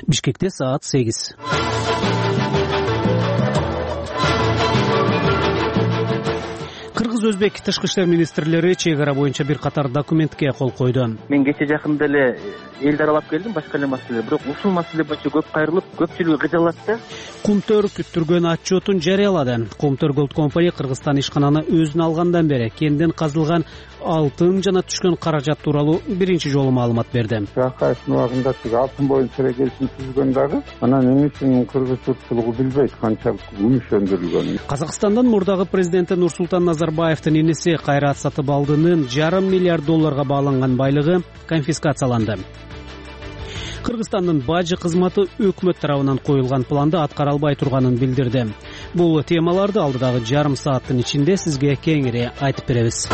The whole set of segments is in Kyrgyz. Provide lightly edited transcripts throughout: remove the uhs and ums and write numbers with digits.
Бишкекте саат 8. Кыргыз-өзбек тышкы иштер министрлери чек ара боюнча бир катар документке кол койду. Мен кече жакында эле элди аралап келдим, башка эле маселе. Бирок ушул маселе боюнча көп кайрылып, көпчүлүгү кыжалат да. Кумтөр күттүргөн отчетун жарыялады. Кумтөр Gold Company Кыргызстан ишкананы өзүнө алгандан бери кенден казылган алтын жана түшкөн каражат тууралуу биринчи жолу маалымат берди. Акаевдин убагында тиги алтын боюнча келишим түзгөн дагы анан эмне үчүн кыргыз журтчулугу билбейт канчалык күмүш өндүрүлгөнүн. Казакстандын мурдагы президенти Нурсултан Назарбаевдин иниси Кайрат Сатыбалдынын $1,5 миллиард байланган байлыгы конфискацияланды. Кыргызстандын бажы кызматы өкмөт тарабынан коюлган планды аткара албай турганын билдирди. Бул темаларды алдыдагы жарым сааттын ичинде сизге кеңири айтып беребиз.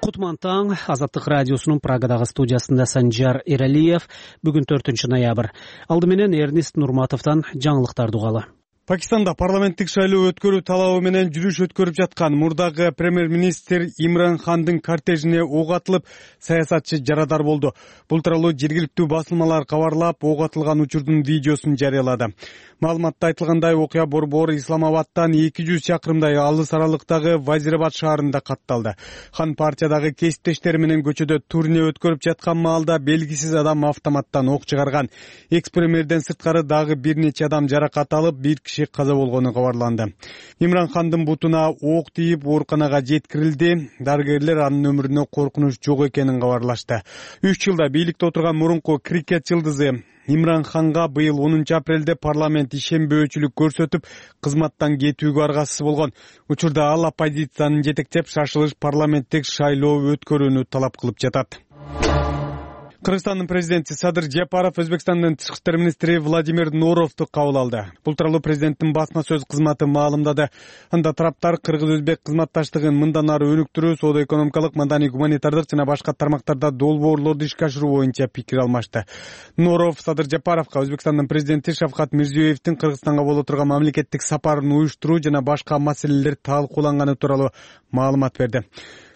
Кутман таң, Азаттык радиосунун Прагадагы студиясында Санжар Эралиев. Бүгүн 4 ноябрь. Алды менен Эрнест Нурматовдон жаңылыктарды угалы. Пакистанда парламенттик шайлоо өткөрүү талабы менен жүрүш өткөрүп жаткан мурдагы премьер-министр Имран Хандын кортежине ок атылып, саясатчы жарадар болду. Бул тууралуу жергиликтүү басылмалар кабарлап, ок атылган учурдун видеосун жарыялады. Маалыматта айтылгандай, окуя борбору Исламабадтан 200 чакырымдай алыс аралыктагы Вазирабад шаарында катталды. Хан партиядагы кесиптештери менен көчөдө турне өткөрүп жаткан маалда белгисиз адам автоматтан ок чыгарган. Экс-премьерден сырткары дагы бир нече адам жаракат алып, бир киши каза болгону кабарланды. Имран Хандын бутуна ок тийип, ооруканага жеткирилди. Дарыгерлер анын өмүрүнө коркунуч жок экенин кабарлашты. 3 жылда бийликте отурган мурунку крикет жылдызы Имран Ханга быйыл 10 апрелде парламент ишенбөөчүлүк көрсөтүп, кызматтан кетүүгө аргасыз болгон. Учурда ал оппозицияны жетектеп, шашылыш парламенттик шайлоо өткөрүүнү талап кылып жатат. Кыргызстандын президенти Садыр Жапаров Өзбекстандын тышкы иштер министри Владимир Норовду кабыл алды. Бул тууралуу президенттин басма сөз кызматы маалымдады. Анда тараптар кыргыз-өзбек кызматташтыгын мындан ары өнүктүрүү, соода-экономикалык, маданий, гуманитардык жана башка тармактарда долбоорлорду ишке ашыруу боюнча пикир алмашты. Норов Садыр Жапаровго Өзбекстандын президенти Шавкат Мирзиёевдин Кыргызстанга боло турган мамлекеттик сапарын уюштуруу жана башка маселелер талкууланганы тууралуу маалымат берди.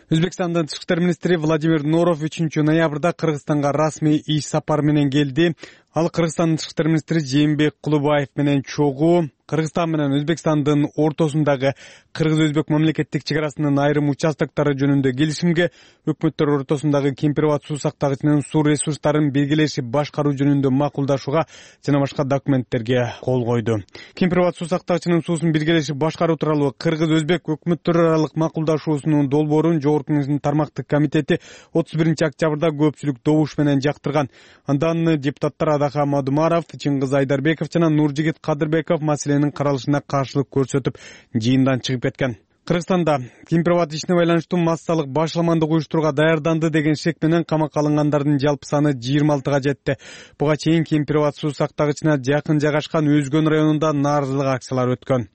Өзбекстандын тышкы иштер министри Владимир Норов 3 ноябрда Кыргызстанга расмий иш сапар менен келди. Ал Кыргызстандын тышкы иштер министри Жээнбек Кулубаев менен чогуу Кыргызстан менен Өзбекстандын ортосундагы кыргыз-өзбек мамлекеттик чек арасынын айрым участоктору жөнүндө келишимге, өкмөттөр ортосундагы Кемпир-Абад суу сактагычынын суу ресурстарын белгилешип башкаруу жөнүндө макулдашууга жана башка документтерге кол койду. Кемпир-Абад суу сактагычынын суусун белгилешип башкаруу тууралуу кыргыз-өзбек өкмөттөр аралык макулдашуусунун долбоорун Жогорку Кеңештин тармактык комитети 31 октябрда көпчүлүк добуш менен жактырган. Андан депутаттар Адаха Мадумаров, Чыңгыз Айдарбеков жана Нуржигит Кадырбеков маселенин каралышына каршылык көрсөтүп, жыйындан чыгып кеткен. Кыргызстанда Кемпир-Абад ишине байланыштуу массалык башламандык уюштурууга даярданды деген шек менен камакка алынгандардын жалпы саны 26 жетти. Буга чейин Кемпир-Абад суу сактагычына жакын жайгашкан Өзгөн районунда нааразылык акциялары өткөн.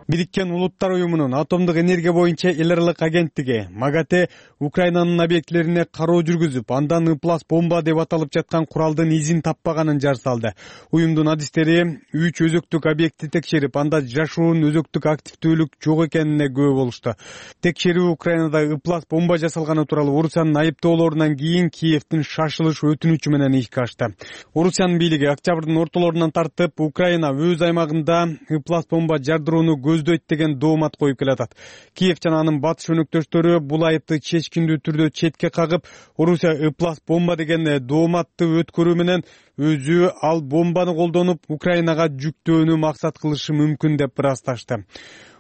Бириккен Улуттар уюмунун атомдук энергия боюнча эл аралык агенттиги МАГАТЭ Украинанын объектилерине кароо жүргүзүп, андан ыплас бомба деп аталып жаткан куралдын изин таппаганын жар салды. Уюмдун адистери 3 өзөктүк объектти текшерип, анда жашуун өзөктүк активдүүлүк жок экенине күбө болушту. Текшерүү Украинада ыплас бомба жасалганы тууралуу Орусиянын айыптоолорунан кийин Киевдин шашылыш өтүнүчү менен ишке ашты. Орусиянын бийлиги октябрдын ортолорунан тартып, Украина өз аймагында ыплас бомба жардырууну көздөйт деген доомат коюп келатат. Киев жана анын батыш өнөктөштөрү бул айыпты чечкиндүү түрдө четке кагып, Орусия ыплас бомба деген дооматты өткөрүү менен өзү ал бомбаны колдонуп Украинага жүктөөнү максат кылышы мүмкүн деп ырасташты.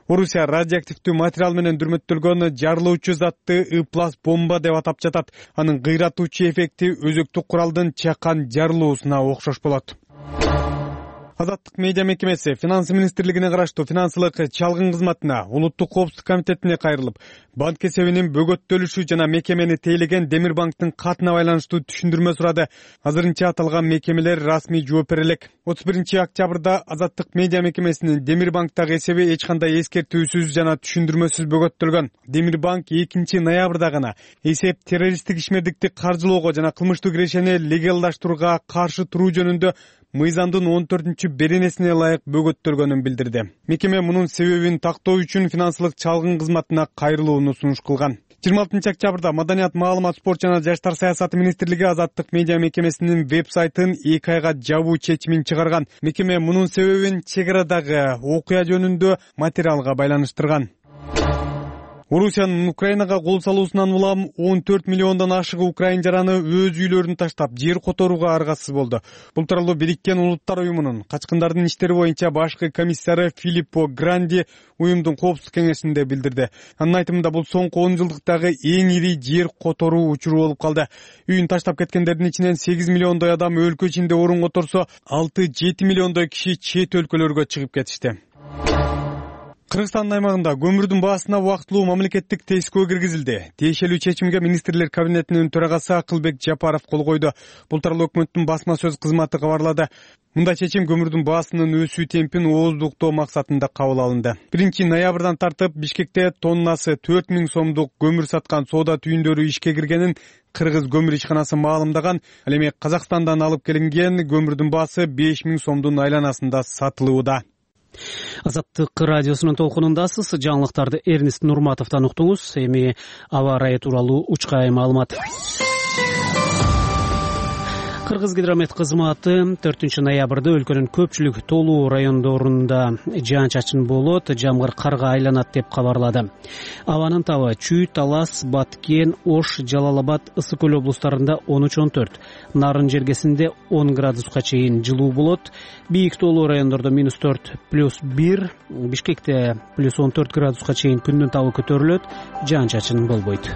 Орусия радиоактивдүү материал менен дүрмөттөлгөн жарылуучу затты ыплас бомба деп атап жатат. Анын кыйратуучу эффекти өзөктүк куралдын чакан жарылуусуна окшош болот. Азаттык медиа мекемеси Финансы министрлигине караштуу финансылык чалгын кызматына, Улуттук коопсуздук комитетине кайрылып, банк эсебинин бөгөттөлүшү жана мекемени тейлеген Демир банктын катына байланыштуу түшүндүрмө сурады. Азырынча аталган мекемелер расмий жооп бере элек. 31 октябрда Азаттык медиа мекемесинин Демир банктагы эсеби эч кандай эскертүүсүз жана түшүндүрмөсүз бөгөттөлгөн. Демир банк 2 ноябрда гана эсеп террористтик ишмердикти каржылоого жана кылмыштуу кирешени легалдаштырууга каршы туруу жөнүндө мыйзамдын 14 беренесине ылайык бөгөттөлгөнүн билдирди. Мекеме мунун себебин тактоо үчүн финансылык чалгын кызматына кайрылууну сунуш кылган. 26-октябрда Маданият, маалымат, спорт жана жаштар саясаты министрлиги Азаттык медиа мекемесинин веб-сайтын 2 айга жабуу чечимин чыгарган. Мекеме мунун себебин чек арадагы окуя жөнүндө материалга байланыштырган. Орусиянын Украинага кол салуусунан улам 14 миллиондон ашык украин жараны өз үйлөрүн таштап, жер которууга аргасыз болду. Бул тууралуу Бириккен Улуттар уюмунун качкындардын иштери боюнча башкы комиссары Филиппо Гранди уюмдун коопсуздук кеңешинде билдирди. Анын айтымында бул соңку 10 жылдыктагы эң ири жер которуу учуру болуп калды. Үйүн таштап кеткендердин ичинен 8 миллиондой адам өлкө ичинде орун которсо, 6-7 миллиондой киши чет өлкөлөргө чыгып кетишти. Кыргызстандын аймагында көмүрдүн баасына убактылуу мамлекеттик тескөө киргизилди. Тиешелүү чечимге министрлер кабинетинин төрагасы Акылбек Жапаров кол койду. Бул тууралуу өкмөттүн басма сөз кызматы кабарлады. Мындай чечим көмүрдүн баасынын өсүү темпин ооздуктоо максатында кабыл алынды. 1-ноябрдан тартып Бишкекте тоннасы 4000 сомдук көмүр саткан соода түйүндөрү ишке киргенин Кыргыз көмүр ишканасы маалымдаган. Ал эми Казакстандан алып келинген көмүрдүн баасы 5000 сомдун айланасында сатылууда. Азаттык радиосунун толкунундасыз. Жаңылыктарды Эрнест Нурматовдон уктуңуз. Эми аба ырайы тууралуу учкай маалымат. Кыргызгидромет кызматы 4-ноябрда өлкөнүн көпчүлүк толуу райондорунда жаан-чачын болот, жамгыр карга айланат деп кабарлады. Абанын табы Чүй, Талас, Баткен, Ош, Жалал-Абад, Ысык Көл облустарында 13-14, Нарын жергесинде 10 градуска чейин жылуу болот. Бийик толуу райондордо -4+1, Бишкекте +14 градуска чейин күндүн табы көтөрүлөт, жаан-чачын болбойт.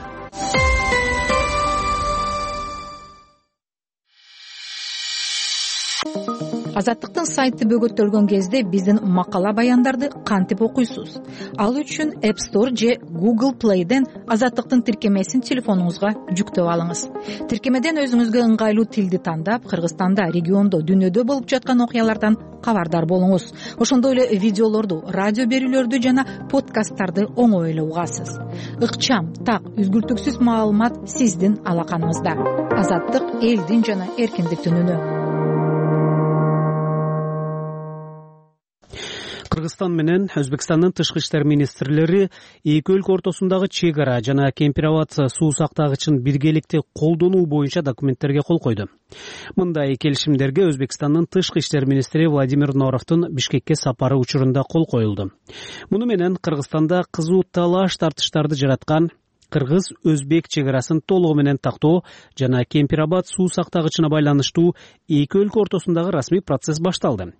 Азаттыктын сайты бөгөттөлгөн кезде биздин макала баяндарды кантип окуйсуз? Ал үчүн App Store же Google Play'ден Азаттыктын тиркемесин телефонуңузга жүктөп алыңыз. Тиркемеден өзүңүзгө ыңгайлуу тилди тандап, Кыргызстанда, региондо, дүйнөдө болуп жаткан окуялардан кабардар болуңуз. Ошондой эле видеолорду, радио берүүлөрдү жана подкасттарды оңой эле угасыз. Ыкчам, так, үзгүлтүксүз маалымат сиздин алаканыңызда. Азаттык элдин жана эркиндиктин үнү. Кыргызстан менен Өзбекстандын тышкы иштер министрлери эки өлкө ортосундагы чек ара жана Кемпир-Абад суу сактагычын биргеликте колдонуу боюнча документтерге кол койду. Мындай келишимдерге Өзбекстандын тышкы иштер министри Владимир Норовдун Бишкекке сапары учурунда кол коюлду. Муну менен Кыргызстанда кызуу талаш тартыштарды жараткан кыргыз-өзбек чек арасын толугу менен тактоо жана Кемпир-Абад суу сактагычына байланыштуу эки өлкө ортосундагы расмий процесс башталды.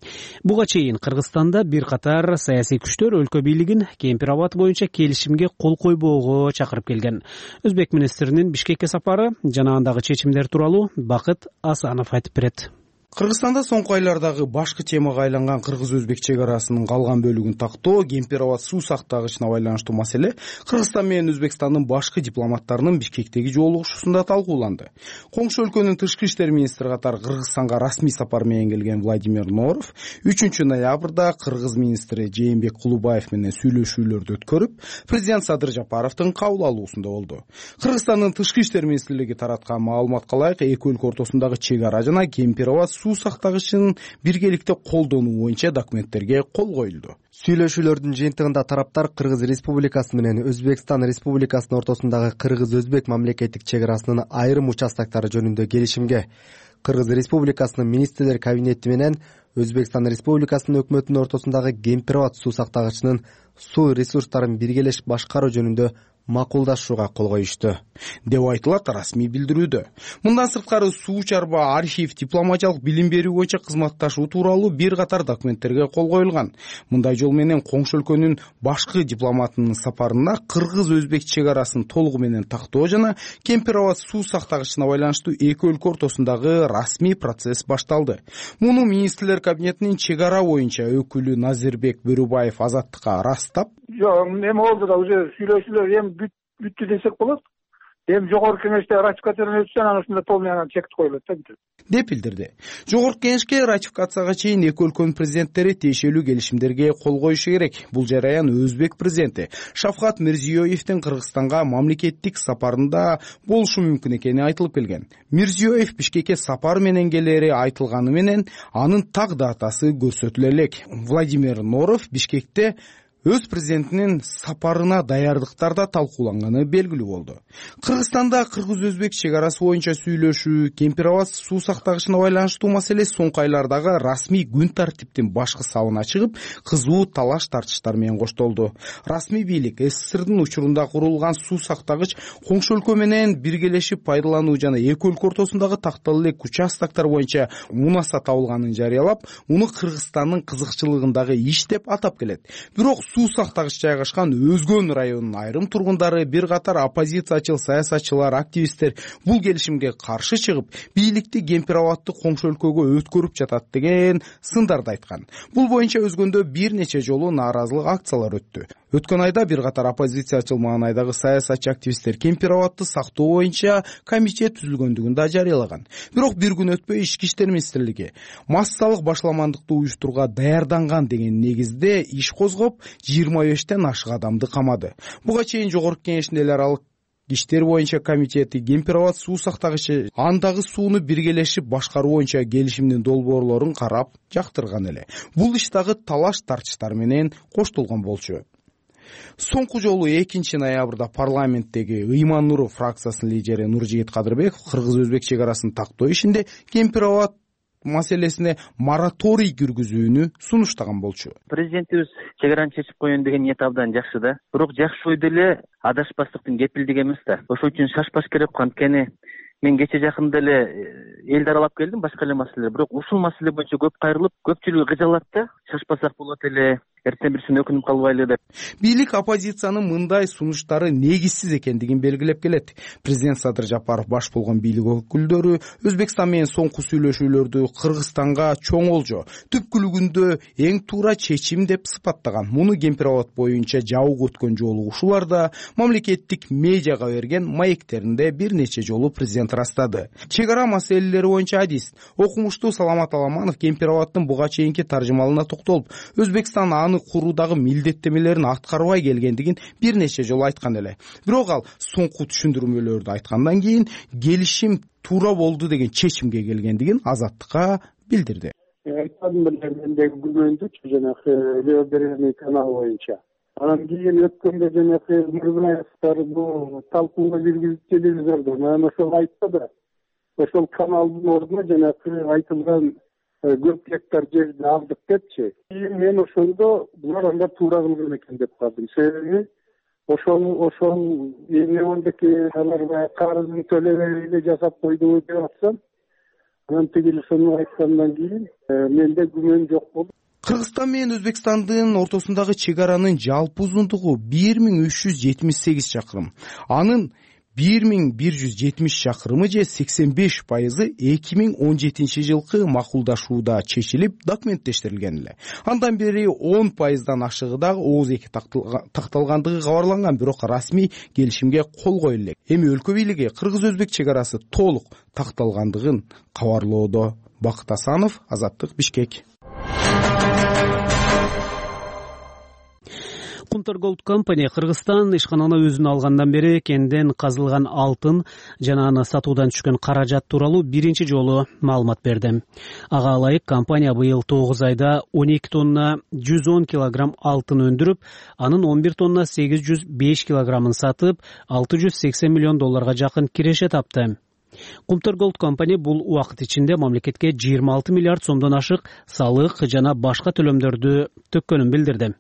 Буга чейин Кыргызстанда бир катар саясий күчтөр өлкө бийлигин Кемпир-Абад боюнча келишимге кол койбоого чакырып келген. Өзбек министринин Бишкекке сапары жана андагы чечимдер тууралуу Бакыт Асанов айтып берет. Кыргызстанда соңку айлардагы башкы темага айланган кыргыз-өзбек чек арасынын калган бөлүгүн тактоо, Кемпир-Абад суу сактагычына байланыштуу маселе Кыргызстан менен Өзбекстандын башкы дипломаттарынын Бишкектеги жолугушуусунда талкууланды. Коңшу өлкөнүн тышкы иштер министри катары Кыргызстанга расмий сапар менен келген Владимир Норов 3-ноябрда кыргыз министри Жээнбек Кулубаев менен сүйлөшүүлөрдү өткөрүп, президент Садыр Жапаровдун кабыл алуусунда болду. Кыргызстандын тышкы иштер министрлиги тараткан маалыматка ылайык, эки өлкө ортосундагы чек ара жана Кемпир-Абад суу сактагычын биргеликте колдонуу боюнча документтерге кол коюлду. Сүйлөшүүлөрдүн жыйынтыгында тараптар Кыргыз Республикасы менен Өзбекстан Республикасынын ортосундагы кыргыз-өзбек мамлекеттик чек арасынын айрым участактары жөнүндө келишимге, Кыргыз Республикасынын министрлер кабинети менен Өзбекстан Республикасынын өкмөтүнүн ортосундагы Кемпир-Абад суу сактагычынын суу ресурстарын биргелешип башкаруу жөнүндө макулдашууга кол коюшту деп айтылат расмий билдирүүдө. Мындан сырткары суу чарба, архив, дипломатиялык билим берүү боюнча кызматташуу тууралуу бир катар документтерге кол коюлган. Мындай жол менен коңшу өлкөнүн башкы дипломатынын сапарында кыргыз-өзбек чек арасын толугу менен тактоо жана Кемпир-Абад суу сактагычына байланыштуу эки өлкө ортосундагы расмий процесс башталды. Муну министрлер кабинетинин чек ара боюнча өкүлү Назирбек Бөрүбаев Азаттыкка ырастап, жок, эми болду да уже сүйлөшүүлөр эми бүттү десек болот. Эми жогорку кеңеште ратификациядан өтсө, анан ушунда полный чек коюлат да деп билдирди. Жогорку кеңешке ратификацияга чейин эки өлкөнүн президенттери тиешелүү келишимдерге кол коюшу керек. Бул жараян Өзбек президенти Шавкат Мирзиёевдин Кыргызстанга мамлекеттик сапарында болушу мүмкүн экени айтылып келген. Мирзиёев Бишкекке сапар менен келери айтылганы менен анын так датасы көрсөтүлө элек. Владимир Норов Бишкекте өз президентинин сапарына даярдыктар да талкууланганы белгилүү болду. Кыргызстанда кыргыз-өзбек чек арасы боюнча сүйлөшүү, Кемпир Абад суу сактагычына байланыштуу маселе соңку айлардагы расмий күн тартиптин башкы сабына чыгып, кызуу талаш тартыштар менен коштолду. Расмий бийлик СССРдин учурунда курулган суу сактагыч коңшу өлкө менен биргелешип пайдалануу жана эки өлкө ортосундагы тактал элек участоктор боюнча мунаса табылганын жарыялап, муну Кыргызстандын кызыкчылыгындагы иш деп атап келет. Бирок суу сактагыч жайгашкан Өзгөн районунун айрым тургундары, бир катар оппозициячыл саясатчылар, активисттер бул келишимге каршы чыгып, бийликти Кемпир Абадты коңшу өлкөгө өткөрүп жатат деген сындарды айткан. Бул боюнча Өзгөндө бир нече жолу нааразылык акциялары өттү. Өткөн айда бир катар оппозициячыл маанайдагы саясатчы активисттер Кемпир Абадты сактоо боюнча комитет түзүлгөндүгүн да жарыялаган. Бирок бир күн өтпөй Ички иштер министрлиги массалык башламандыкты уюштурууга даярданган деген негизде иш козгоп, 25тен ашык адамды камады. Буга чейин Жогорку Кеңештин эл аралык иштер боюнча комитети Кемпир Абад суу сактагычы андагы сууну биргелешип башкаруу боюнча келишимдин долбоорлорун карап жактырган эле. Бул иш дагы талаш тартыштар менен коштолгон болчу. Соңку жолу 2 ноябрда парламенттеги Ыйман Нуров фракциясынын лидери Нуржигит Кадырбеков кыргыз-өзбек чек арасын тактоо ишинде Кемпир Абад маселесине мораторий киргизүүнү сунуштаган болчу. Президентибиз чек араны чечип коеюн деген ниет абдан жакшы да. Бирок жакшы ой деле адашпастыктын кепилдиги эмес да. Ошол үчүн шашпаш керек. Анткени мен кече жакында эле элди аралап келдим, башка эле маселелер. Бирок ушул маселе боюнча көп кайрылып, көпчүлүгү кыжалат да. Шашпасак болот эле, эртең бирсине өкүнүп калбайлы деп. Бийлик оппозициянын мындай сунуштары негизсиз экендигин белгилеп келет. Президент Садыр Жапаров баш болгон бийлик өкүлдөрү Өзбекстан менен соңку сүйлөшүүлөрдү Кыргызстанга чоң олжо, түпкүлүгүндө эң туура чечим деп сыпаттаган. Муну Кемпир Абад боюнча жабык өткөн жолу ушуларда мамлекеттик медиага берген маектеринде бир нече жолу президент ырастады. Чек ара маселелери боюнча адис окумуштуу Саламат Аламанов Кемпир Абадтын буга чейинки таржымалына токтолуп, Өзбекстан аны куруудагы милдеттемелерин аткарбай келгендигин бир нече жолу айткан эле. Бирок ал соңку түшүндүрмөлөрдү айткандан кийин келишим туура болду деген чечимге келгендигин Азаттыкка билдирди. Айтканым эле мендеги күмөндүчү жанагы левобережный канал боюнча. Анан кийин өткөндө жанагы Мырзаевдер бул талкууга киргизип телевизордо мен ошол айтты да. Ошол каналдын ордуна жанагы айтылган көп гектар жерди алдык депчи. Мен ошондо булар анда туура кылган экен деп калдым. Себеби ошол эмнедеки алар баягы карызын төлөбөй эле жасап койду деп атсам, анан тигил ошону айткандан кийин менде күмөн жок болду. Кыргызстан менен Өзбекстандын ортосундагы чек аранын жалпы узундугу 1378 чакырым. Анын 1170 чакырымы же 85% 2017 жылкы макулдашууда чечилип, документтештирилген эле. Андан бери 10%дан ашыгы дагы ооз эки такталгандыгы кабарланган, бирок расмий келишимге кол коюлду элек. Эми өлкө бийлиги кыргыз-өзбек чек арасы толук такталгандыгын кабарлоодо. Бакыт Асанов, Азаттык, Бишкек. Кумтар Gold Company Кыргызстан ишкананы өзүнө алгандан бери кенден казылган алтын жана аны сатуудан түшкөн каражат тууралуу биринчи жолу маалымат берди. Ага ылайык компания быйыл 9 айда 12 тонна 110 килограмм алтын өндүрүп, анын 11 тонна 805 килограммын сатып, $680 миллион жакын киреше тапты. Кумтар Gold Company бул убакыт ичинде мамлекетке 26 миллиард сомдон ашык салык жана башка төлөмдөрдү төккөнүн билдирди.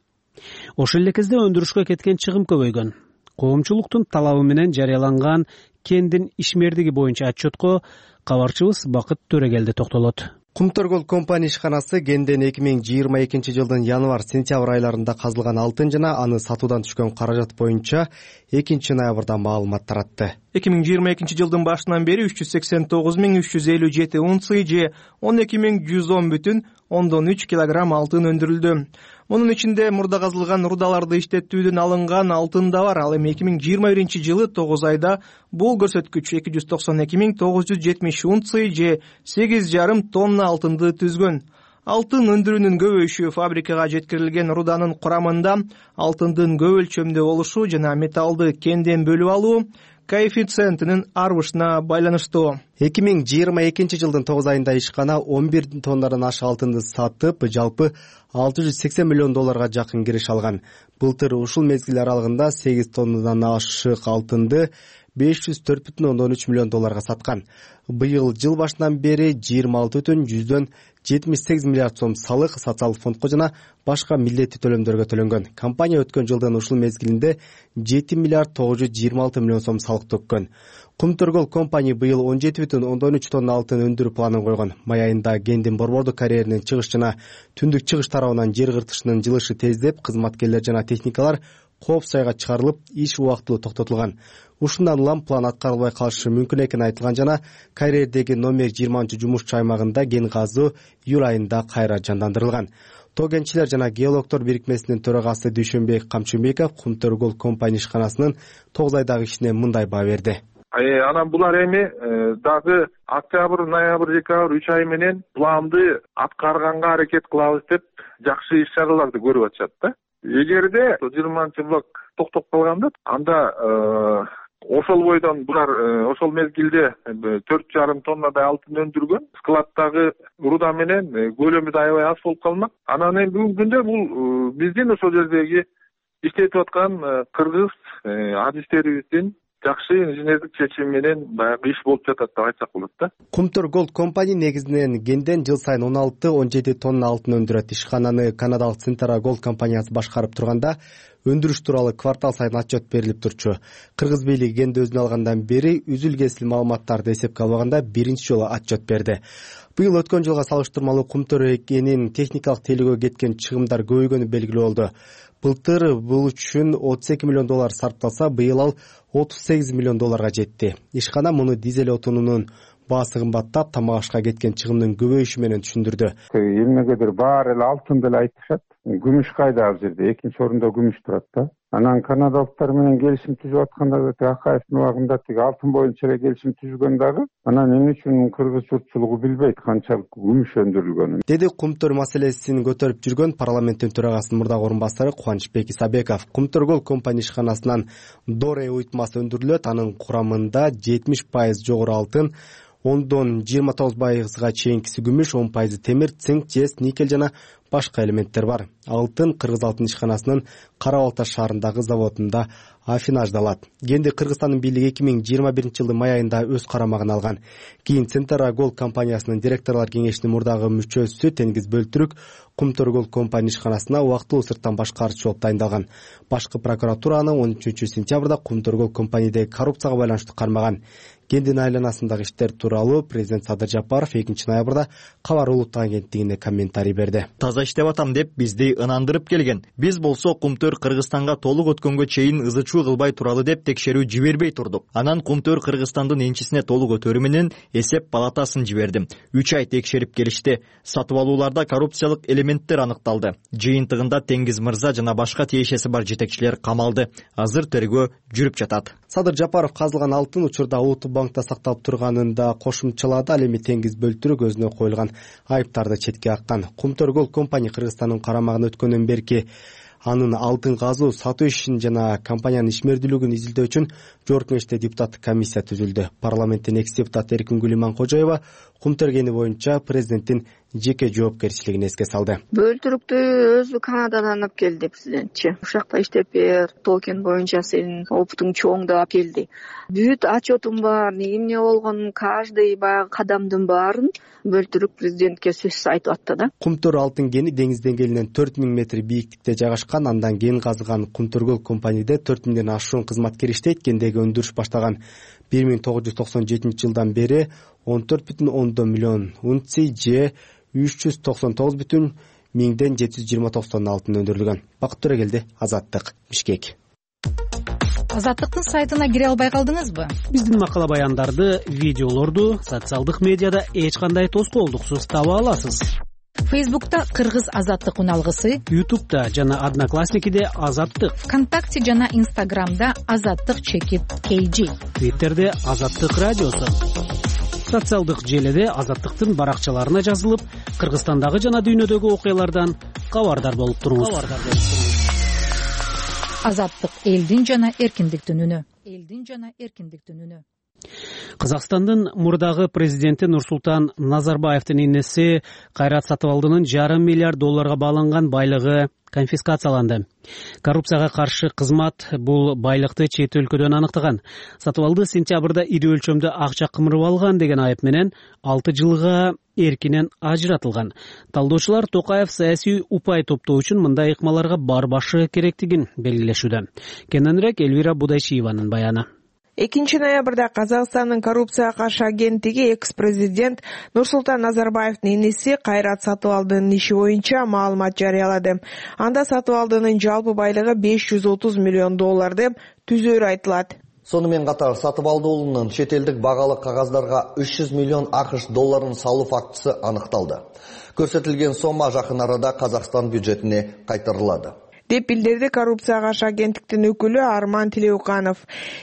Ошол эле кезде өндүрүшкө кеткен чыгым көбөйгөн. Коомчулуктун талабы менен жарыяланган кендин ишмердиги боюнча отчетко кабарчыбыз Бакыт Төрөгелди токтолот. Кумтар Gold Company ишканасы кенден 2022 жылдын январь-сентябрь айларында казылган алтын жана аны сатуудан түшкөн каражат боюнча 2 ноябрда маалымат таратты. 2022 жылдын башынан бери 389.357 унция же 12.110,3 килограмм алтын өндүрүлдү. Мунун ичинде мурда казылган рудаларды иштетүүдөн алынган алтын да бар. Ал эми 2021 жылы 9 айда бул көрсөткүч 292.970 унция же 8,5 тонна алтынды түзгөн. Алтын өндүрүүнүн көбөйүшү фабрикага жеткирилген руданын курамында алтындын көп өлчөмдө болушу жана металлды кенден бөлүп алуу, коэффициентинин арбышына байланыштуу. 2022 жылдын 9 айында ишкана 11 тоннадан ашык алтынды сатып, жалпы $680 миллион жакын кириш алган. Былтыр ушул мезгил аралыгында 8 тоннадан ашык алтынды $504,3 миллион саткан. Быйыл жыл башынан бери 26,178 миллиард сом салык социалдык фондко жана башка милдеттүү төлөмдөргө төлөнгөн. Компания өткөн жылдын ушул мезгилинде 7 миллиард 926 миллион сом салык төккөн. Кумтөргөл компания быйыл 17,3 тонна алтын өндүрүү планын койгон. Май айында Гендин борбордук карьеринин чыгыш жана түндүк чыгыш тарабынан жер кыртышынын жылышы тездеп, кызматкерлер жана техникалар коопсуз айга чыгарылып, иш убактылуу токтотулган. Ушундан улам план аткарылбай калышы мүмкүн экени айтылган жана карьердеги номер 20-жумушчу аймагында кен казуу июль айында кайра жандандырылган. Тоо кенчилер жана геологдор бирикмесинин төрагасы Дүйшөнбек Камчыбеков Кумтөргөл компания ишканасынын 9 айдагы ишине мындай баа берди. Анан булар эми дагы октябрь, ноябрь, декабрь 3 ай менен планды аткарганга аракет кылабыз деп жакшы иш-чараларды көрүп атышат да. Эгерде 20-блок токтоп калганда, анда ошол бойдон булар ошол мезгилде 4,5 тоннадай алтын өндүргөн. Складдагы руда менен көлөмү да аябай аз болуп калмак. Анан эми бүгүнкү күндө бул биздин ошол жердеги иштетип аткан кыргыз адистерибиздин жакшы инженердик чечими менен баягы иш болуп жатат деп айтсак болот да. Кумтөргөл компания негизинен кенден жыл сайын 16-17 тонна алтын өндүрөт. Ишкананы канадалык Центра Голд компаниясы башкарып турганда өндүрүш тууралуу квартал сайын отчет берилип турчу. Кыргыз бийлиги кенди өзүнө алгандан бери үзүл-кесил маалыматтарды эсепке албаганда биринчи жолу отчет берди. Быйыл өткөн жылга салыштырмалуу Кумтөр экенин техникалык тейлөөгө кеткен чыгымдар көбөйгөнү белгилүү болду. Былтыр бул үчүн $32 миллион сарпталса, быйыл ал $38 миллион жетти. Ишкана муну дизель отунунун баасы кымбаттап, тамак ашка кеткен чыгымдын көбөйүшү менен түшүндүрдү. Эмнегедир баары эле алтын деле айтышат. Күмүш кайда ал жерде? Экинчи орунда күмүш турат да. Анан канадалыктар менен келишим түзүп атканда Акаевдин убагында алтын боюнча эле келишим түзгөн дагы. Анан эмне үчүн кыргыз журтчулугу билбейт канчалык күмүш өндүрүлгөнүн. Деди Кумтөр маселесин көтөрүп жүргөн парламенттин төрагасынын мурдагы орун басары Кубанычбек Исабеков. Кумтөргөл компания ишканасынан доре уютмасы өндүрүлөт. Анын курамында 70% жогору алтын, 10-29%га чейинкиси күмүш, 10% темир, цинк, жез, никель жана башка элементтер бар. Алтын Кыргыз алтын ишканасынын Кара Балта шаарындагы заводунда афинаждалат. Кенди Кыргызстандын бийлиги 2021 жылдын май айында өз карамагына алган. Кийин Центра Голд компаниясынын директорлор кеңешинин мурдагы мүчөсү Тенгиз Бөлтүрүк Кумтөргөл компания ишканасына убактылуу сырттан башкарчу болуп дайындалган. Башкы прокуратураны 13 сентябрда Кумтөргөл компаниядеги коррупцияга байланыштуу кармаган. Кендин айланасындагы иштер тууралуу президент Садыр Жапаров 2 ноябрда Кабар улуттук агенттигине комментарий берди. Таза иштеп атам деп бизди ынандырып келген. Биз болсо Кумтөр Кыргызстанга толук өткөнгө чейин ызычуу кылбай туралы деп текшерүү жибербей турдук. Анан Кумтөр Кыргызстандын энчисине толук өтөрү менен эсеп палатасын жибердим. 3 ай текшерип келишти. Сатып алууларда коррупциялык элементтер аныкталды. Жыйынтыгында Теңиз мырза жана башка тиешеси бар жетекчилер камалды. Азыр тергөө жүрүп жатат. Садыр Жапаров казылган алтын учурда Улуттук банкта сакталып турганын да кошумчалады. Ал эми Теңиз Бөлтүрүк өзүнө коюлган айыптарды четке каккан. Кумтөргөл компания Кыргызстандын карамагына өткөндөн берки анын алтын казуу сатуу ишин жана компаниянын ишмердүүлүгүн изилдөө үчүн жогорку кеңеште депутаттык комиссия түзүлдү. Парламенттин экс депутаты Эркингүл Иманкожоева Кумтөр кени боюнча президенттин жеке жоопкерчилигин эске салды. Бөлтүрүктү өзү Канададан алып келди президентчи. Ушакта иштеп бер, тоо кен боюнча сенин опытың чоң деп келди. Бүт отчетум бар, эмне болгонун каждый баягы кадамдын баарын Бөлтүрүк президентке сөзсүз айтып атты да. Кумтөр алтын кени деңиз деңгээлинен 4000 метр бийиктикте жайгашкан. Андан кен казыган Кумтөргөл компанияда 4000ден ашуун кызматкер иштейт. Кендеги өндүрүш баштаган 1997 жылдан бери 14,10 миллион унций же 399,729 тонна алтын өндүрүлгөн. Бакыт Төрөгелди, Азаттык, Бишкек. Азаттыктын сайтына кире албай калдыңызбы? Биздин макала баяндарды, видеолорду социалдык медиада эч кандай тоскоолдуксуз таба аласыз. Фейсбукта Кыргыз Азаттык уналгысы, Ютубта жана Одноклассникиде Азаттык, ВКонтакте жана Инстаграмда Азаттык_KG, Твиттерде Азаттык радиосу. Социалдык желеде Азаттыктын баракчаларына жазылып, Кыргызстандагы жана дүйнөдөгү окуялардан кабардар болуп туруңуз. Азаттык элдин жана эркиндиктин үнү. элдин жана эркиндиктин үнү. Казакстандын мурдагы президенти Нурсултан Назарбаевдин инеси Кайрат Сатыбалдынын $500 миллиард бааланган байлыгы конфискацияланды. Коррупцияга каршы кызмат бул байлыкты чет өлкөдөн аныктаган. Сатыбалды сентябрда ири өлчөмдө акча кымырып алган деген айып менен 6 жылга эркинен ажыратылган. Талдоочулар Токаев саясий упай топтоо үчүн мындай ыкмаларга барбашы керектигин белгилешүүдө. Кененирээк Элвира Будайчиеванын баяны. 2 ноябрда Казакстандын коррупцияга каршы агенттиги экс-президент Нурсултан Назарбаевдин инеси Кайрат Сатыбалдынын иши боюнча маалымат жарыялады. Анда Сатыбалдынын жалпы байлыгы $530 миллион деп түзөрү айтылат. Сонымен катар Сатыбалды уулунун чет элдик багалык кагаздарга $300 миллион ақш салуу фактысы аныкталды. Көрсөтүлгөн сомма жакын арада Казакстан бюджетине кайтарылады деп билдирди коррупцияга каршы агенттиктин өкүлү Арман Тилеуканов.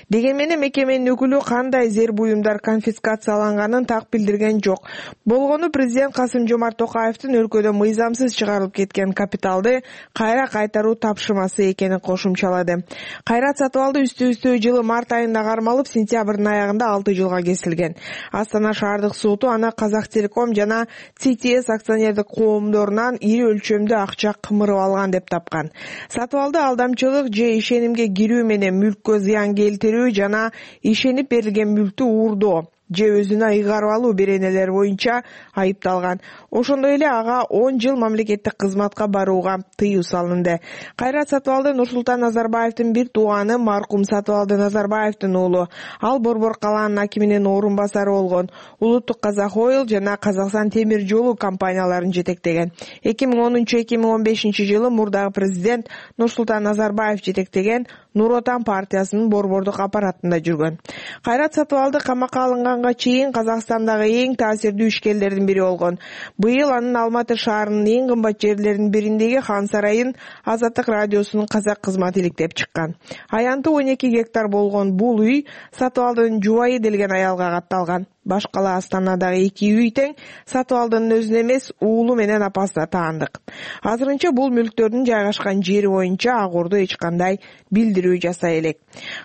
Дегенменен мекеменин өкүлү кандай зер буюмдар конфискацияланганын так билдирген жок. Болгону президент Касым-Жомарт Токаевдин өлкөдө мыйзамсыз чыгарылып кеткен капиталды кайра кайтаруу тапшырмасы экенин кошумчалады. Кайрат Сатыбалды үстү жылы март айында кармалып, сентябрдын аягында 6 жылга кесилген. Астана шаардык соту аны Казахтелеком жана ЦТС акционердик коомдорунан ири өлчөмдө акча кымырып алган деп тапкан. Сатыбалды алдамчылык же ишенимге кирүү менен мүлккө зыян келтирүү жана ишенип берилген мүлктү уурдоо же өзүнө ыйгарып алуу беренелери боюнча айыпталган. Ошондой эле ага 10 жыл мамлекеттик кызматка барууга тыюу салынды. Кайрат Сатыбалды Нурсултан Назарбаевдин бир тууганы маркум Сатыбалды Назарбаевдин уулу. Ал Борбор калаанын акиминин орун басары болгон. Улуттук Казак Ойл жана Казакстан темир жолу компанияларын жетектеген. 2010-2015 жылы мурдагы президент Нурсултан Назарбаев жетектеген Нур Отан партиясынын борбордук аппаратында жүргөн. Кайрат Сатыбалды камакка алынганга чейин Казакстандагы эң таасирдүү ишкерлердин бири болгон. Быйыл анын Алматы шаарынын эң кымбат жерлеринин бириндеги Хан сарайын Азаттык радиосунун казак кызматы иликтеп чыккан. Аянты 12 гектар болгон бул үй Сатыбалдынын жубайы делген аялга катталган. Башкала Астанадагы 2 үй тең Сатыбалдынын өзүнө эмес, уулу менен апасына таандык. Азырынча бул мүлктөрдүн жайгашкан жери боюнча Ак Ордо эч кандай билдирүү жасай элек.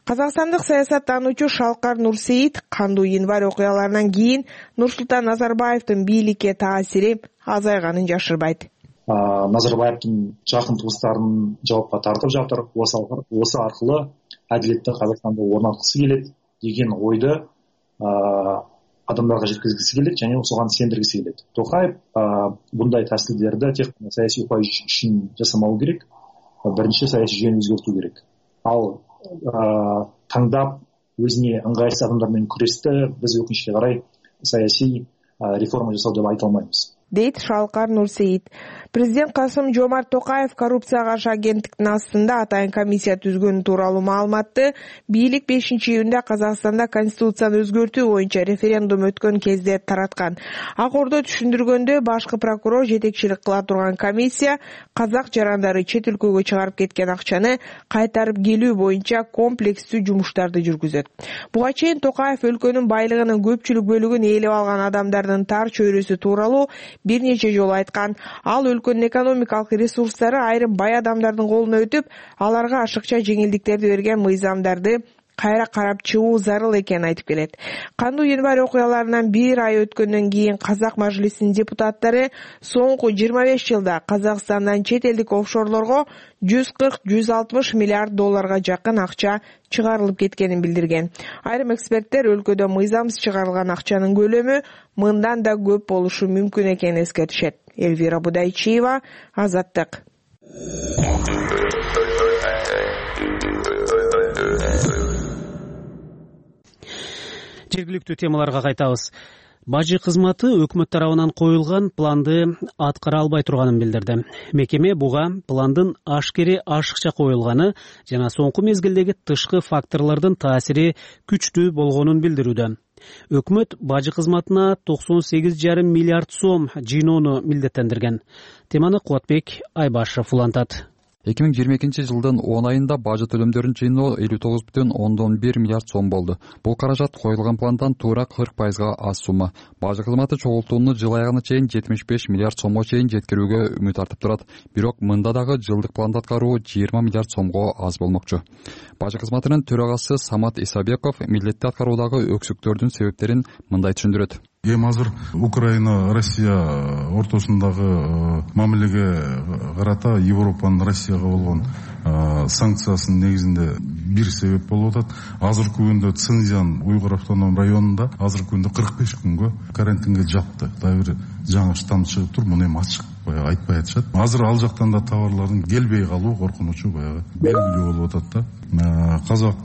Казакстандык саясаттануучу Шалкар Нурсейит кандуу январь окуяларынан кийин Нурсултан Назарбаевдин бийликке таасири азайганын жашырбайт. Назарбаевдин жакын туыстарын жоопко тартып жатыр. Осы аркылы адилетти Казакстанда орнаткысы келет деген ойду адамдарга жеткизгиси келет жана осуган сендиргиси келет. Токаев bunday тасилдерди тек саясий упай үчүн жасамау керек. Биринчи саясий жүйөнү өзгөртүү керек. Ал таңдап өзүнө ыңгайсыз адамдар менен күрөштө биз өкүнүчкө карай саясий реформа жасоо деп айта албайбыз, дейт Шалкар Нурсейит. Президент Касым-Жомарт Токаев коррупцияга каршы агенттиктин астында атайын комиссия түзгөнү тууралуу маалыматты бийлик 5-июнда Казакстанда конституцияны өзгөртүү боюнча референдум өткөн кезде тараткан. Ак Ордо түшүндүргөндө, башкы прокурор жетекчилик кыла турган комиссия казак жарандары чет өлкөгө чыгарып кеткен акчаны кайтарып келүү боюнча комплекстүү жумуштарды жүргүзөт. Буга чейин Токаев өлкөнүн байлыгынын көпчүлүк бөлүгүн ээлеп алган адамдардын тар чөйрөсү тууралуу бир нече жолу айткан. Ал өлкөнүн экономикалык ресурстары айрым бай адамдардын колуна өтүп, аларга ашыкча жеңилдиктерди берген мыйзамдарды кайра карап чыгуу зарыл экенин айтып келет. Кандуу январь окуяларынан бир ай өткөндөн кийин Казак мажлисинин депутаттары соңку 25 жылда Казакстандан чет элдик офшорлорго $140-160 миллиард жакын акча чыгарылып кеткенин билдирген. Айрым эксперттер өлкөдө мыйзамсыз чыгарылган акчанын көлөмү мындан да көп болушу мүмкүн экенин эскертишет. Элвира Будайчиева, Азаттык. Жергиликтүү темаларга кайтабыз. Бажы кызматы өкмөт тарабынан коюлган планды аткара албай турганын билдирди. Мекеме буга пландын ашыкча коюлганы жана соңку мезгилдеги тышкы факторлордун таасири күчтүү болгонун билдирүүдө. Өкмөт бажы кызматына 98,5 миллиард сом жыйноону милдеттендирген. Теманы Кубатбек Айбашев улантат. 2022 жылдын 10 айында бажы төлөмдөрүн жыйноо 59,1 миллиард сом болду. Бул каражат коюлган пландан туура 40%га аз сумма. Бажы кызматы чогултууну жыл аягына чейин 75 миллиард сомго чейин жеткирүүгө үмүт артып турат. Бирок мында дагы жылдык планды аткаруу 20 миллиард сомго аз болмокчу. Бажы кызматынын төрагасы Самат Исабеков милдетти аткаруудагы өксүктөрдүн себептерин мындай түшүндүрөт. Эми азыр Украина, Россия ортосундагы мамилеге карата Европанын Россияга болгон санкциясынын негизинде бир себеп болуп атат. Азыркы күндө Цинзян уйгур автоном районунда азыркы күндө 45 күнгө карантинге жапты. Дагы бир жаңы штамм чыгып тур, муну эми ачык баягы айтпай атышат. Азыр ал жактан да товарлардын келбей калуу коркунучу баягы белгилүү болуп атат да. Казак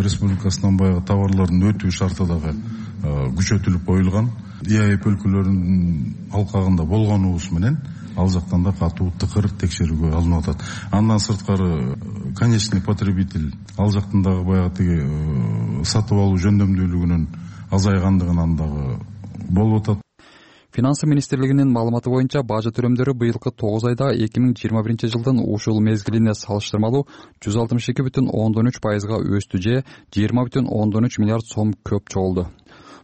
Республикасынан баягы товарлардын өтүү шарты дагы күчөтүлүп коюлган. ИАЭП өлкөлөрүнүн алкагында болгонубуз менен ал жактан да катуу тыкыр текшерүүгө алынып атат. Андан сырткары конечный потребитель ал жактан дагы баягы тиги сатып алуу жөндөмдүүлүгүнүн азайгандыгынан дагы болуп атат. Финансы министрлигинин маалыматы боюнча бажы төлөмдөрү быйылкы 9 айда 2021 жылдын ушул мезгилине салыштырмалуу 162,3%га өстү же 20,3 миллиард сом көп чогулду.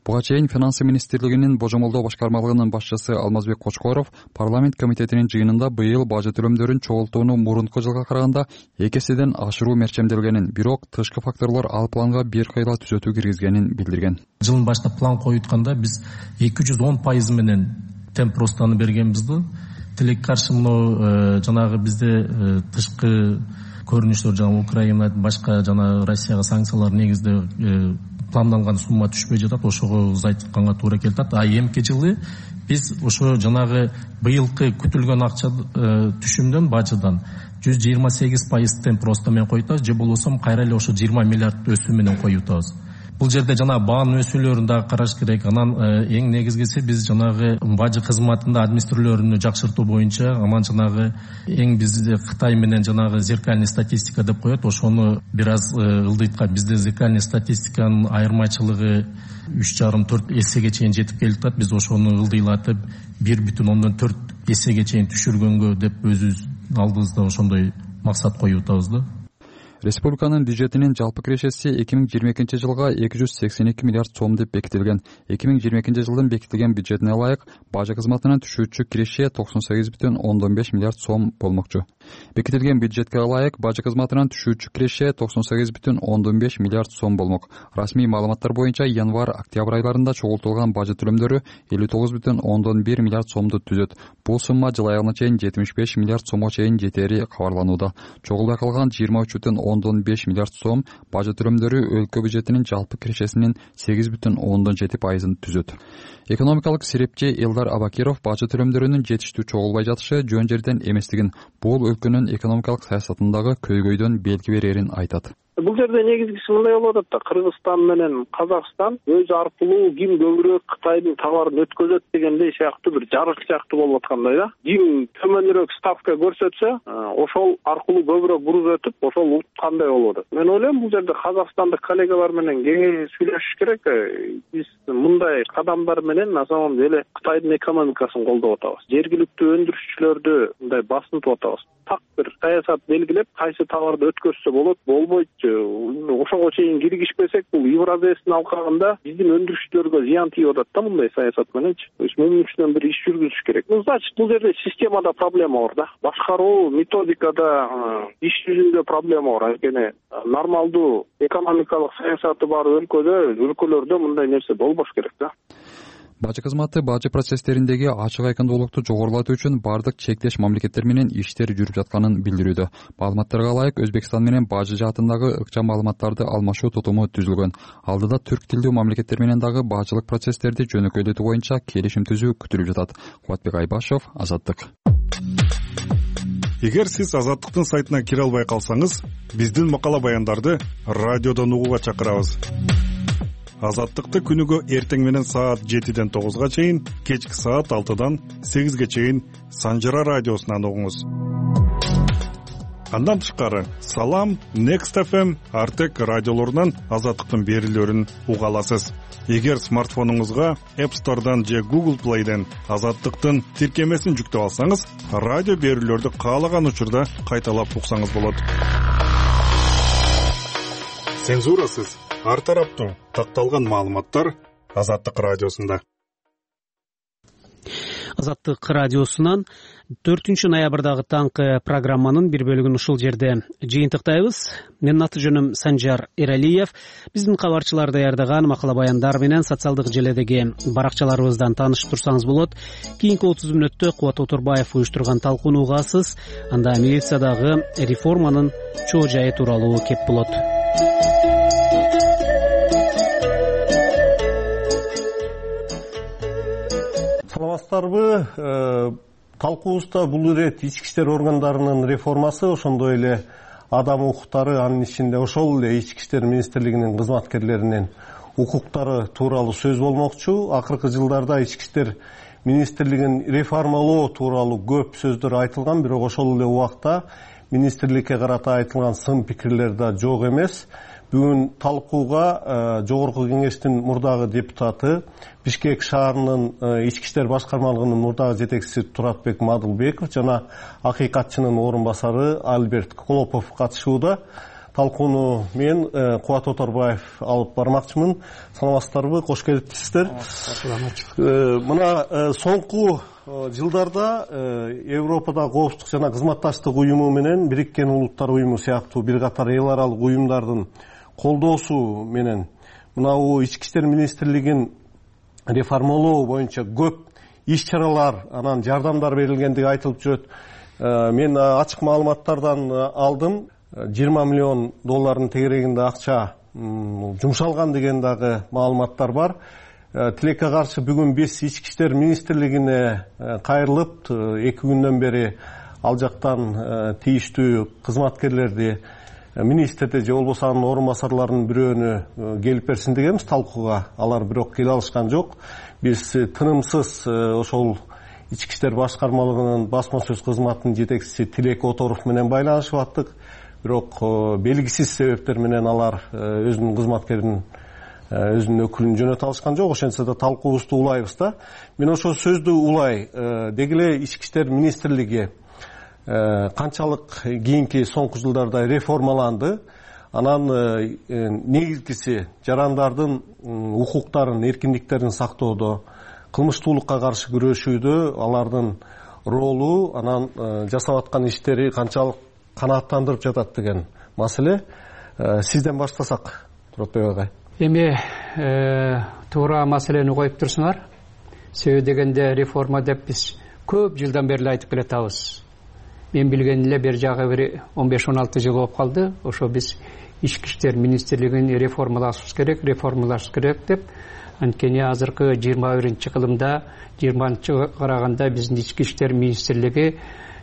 Буга чейин Финансы министрлигинин божомолдоо башкармалыгынын башчысы Алмазбек Кочкоров парламент комитетинин жыйынында быйыл бажы төлөмдөрүн чогултууну мурунку жылга караганда 2 эседен ашыруу мерчемделгенин, бирок тышкы факторлор ал планга бир кыйла түзөтүү киргизгенин билдирген. Жылдын башында план коютканда биз 210% менен темп ростаны бергенбизди. Тилекке каршы мына жанагы бизде тышкы көрүнүштөр жана Украина башка жана Россияга санкциялар негизде планданган сумма түшпөй жатат, ошого узайтканга туура келет. Эмки жылы биз ошо жанагы быйылкы күтүлгөн акча түшүмдөн бажыдан 128% темп роста менен коюп, же болбосо кайра эле ошо 20 миллиард өсүү менен коюптабыз. Бул жерде жана баанын өсүүлөрүн дагы караш керек. Анан эң негизгиси биз жанагы бажы кызматында администрациялөрүнү жакшыртуу боюнча, анан жанагы эң бизде Кытай менен жанагы зеркальный статистика деп коет, ошону бир аз ылдыйтка. Бизде зеркальный статистиканын айырмачылыгы 3,5-4 эсеге чейин жетип келатат. Биз ошону ылдыйлатып 1,4 эсеге чейин түшүргөнгө деп өзүбүз алдыбызда ошондой максат коюп атабыз да. Республиканын бюджетинин жалпы кирешеси 2022 жылга 282 миллиард сом деп бекитилген. 2022 жылдын бекитилген бюджетине ылайык бажы кызматынан түшүүчү киреше 98,5 миллиард сом болмокчу. Бекитилген бюджетке ылайык бажы кызматынан түшүүчү киреше 98,5 миллиард сом болмок. Расмий маалыматтар боюнча январь-октябрь айларында чогултулган бажы төлөмдөрү 59,1 миллиард сомду түзөт. Бул сумма жыл аягына чейин 75 миллиард сомго чейин жетери кабарланууда. Чогулбай калган 23,5 миллиард сом бажы төлөмдөрү өлкө бюджетинин жалпы кирешесинин 8,7%-ын түзөт. Экономикалык серепчи Элдар Абакиров бажы төлөмдөрүнүн жетиштүү чогулбай жатышы жөн жерден эместигин, бул өлкөнүн экономикалык саясатындагы көйгөйдөн белги берерин айтат. Бул жерде негизгиси мындай болуп атат да, Кыргызстан менен Казакстан өз аркылуу ким көбүрөөк Кытайдын товарын өткөзөт дегендей сыяктуу бир жарык сыяктуу болуп аткандай да. Ким төмөнүрөөк ставка көрсөтсө, ошол аркылуу көбүрөөк буруп өтүп, ошол уткандай болуп атат. Мен ойлойм бул жерде казакстандык коллегалар менен кеңеш сүйлөшүш керек. Биз мындай кадамдар менен на самом деле Кытайдын экономикасын колдоп атабыз. Жергиликтүү өндүрүшчүлөрдү мындай басынтып атабыз. Так бир саясат белгилеп, кайсы товарды өткөзсө болот, болбойт. Ошого чейин киргишпесек, бул Евразиянын алкагында биздин өндүрүшчүлөргө зыян тийип атат да мындай саясат мененчи. Мунун үстүнөн бир иш жүргүзүш керек. Значит, бул жерде системада проблема бар да. Башкаруу методикада, иш жүзүндө проблема бар. Анткени нормалдуу экономикалык саясаты бар өлкөлөрдө мындай нерсе болбош керек да. Бажы кызматы бажы процесстериндеги ачык айкындуулукту жогорулатуу үчүн бардык чектеш мамлекеттер менен иштер жүрүп жатканын билдирүүдө. Маалыматтарга ылайык Өзбекстан менен бажы жаатындагы ыкчам маалыматтарды алмашуу тутуму түзүлгөн. Алдыда түрк тилдүү мамлекеттер менен дагы бажылык процесстерди жөнөкөйлөтүү боюнча келишим түзүү күтүлүп жатат. Кубатбек Айбашев, Азаттык. Эгер сиз Азаттыктын сайтына кире албай калсаңыз, биздин макала баяндарды радиодон угууга чакырабыз. Азаттыкты күнүгө эртең менен саат 7-ден 9-га чейин, кечки саат 6-дан 8-ге чейин Санжара радиосунан угуңуз. Андан тышкары Салам, Next FM, Артек радиолорунан Азаттыктын берүүлөрүн уга аласыз. Эгер смартфонуңузга App Store'дан же Google Play'ден Азаттыктын тиркемесин жүктөп алсаңыз, радио берүүлөрдү каалаган учурда кайталап уксаңыз болот. Цензурасыз, ар тараптуу такталган маалыматтар Азаттык радиосунда. Азаттык радиосунан 4 ноябрдагы таңкы программанын бир бөлүгүн ушул жерде жыйынтыктайбыз. Менин аты жөнүм Санжар Эралиев. Биздин кабарчылар даярдаган макала баяндар менен социалдык желедеги баракчаларыбыздан таанышып турсаңыз болот. Кийинки 30 мүнөттө Кубат Отурбаев уюштурган талкууну угасыз. Анда милициядагы реформанын чоо жайы тууралуу кеп болот. Саламатсыздарбы? Талкуубузда бул ирет ички иштер органдарынын реформасы, ошондой эле адам укуктары, анын ичинде ошол эле ички иштер министрлигинин кызматкерлеринин укуктары тууралуу сөз болмокчу. Акыркы жылдарда ички иштер министрлигин реформалоо тууралуу көп сөздөр айтылган, бирок ошол эле убакта министрликке карата айтылган сын пикирлер да жок эмес. Бүгүн талкууга Жогорку кеңештин мурдагы депутаты, Бишкек шаарынын ички иштер башкармалыгынын мурдагы жетекчиси Туратбек Мадылбеков жана акыйкатчынын орун басары Альберт Колопов катышууда. Талкууну мен Кубат Отурбаев алып бармакчымын. Саламатсыздарбы? Кош келипсиздер. Мына соңку жылдарда Европада коопсуздук жана кызматташтык уюму менен Бириккен Улуттар уюму сыяктуу бир катар эл аралык уюмдардын колдоосу менен мынау ички иштер министрлигин реформалоо боюнча көп иш-чаралар, анан жардамдар берилгендиги айтылып жүрөт. Мен ачык маалыматтардан алдым. 20 миллион доллардын тегерегинде акча жумшалган деген дагы маалыматтар бар. Тилекке каршы бүгүн биз ички иштер министрлигине кайрылып, 2 күндөн бери ал жактан тийиштүү кызматкерлерди министрди же болбосо анын орун басарларынын бирөөнү келип берсин дегенбиз талкууга. Алар бирок келе алышкан жок. Биз тынымсыз ошол ички иштер башкармалыгынын басма сөз кызматынын жетекчиси Тилек Оторов менен байланышып аттык. Бирок белгисиз себептер менен алар өзүнүн кызматкерин, өзүнүн өкүлүн жөнөтө алышкан жок. Ошентсе да талкуубузду улайбыз да. Мен ошол сөздү улай. Деги эле ички иштер министрлиги канчалык кийинки соңку жылдарда реформаланды. Анан негизгиси жарандардын укуктарын, эркиндиктерин сактоодо, кылмыштуулукка каршы күрөшүүдө алардын ролу, анан жасап аткан иштери канчалык канааттандырып жатат деген маселе. Сизден баштасак, Туратбек агай. Эми туура маселени коюп турсуңар. Себеби дегенде реформа деп биз көп жылдан бери айтып келатабыз. Мен билген эле бир жагы бир 15-16 жыл болуп калды. Ошо биз ички иштер министрлигин реформалашыбыз керек деп. Анткени азыркы 21-кылымда 20-чы караганда биздин ички иштер министрлиги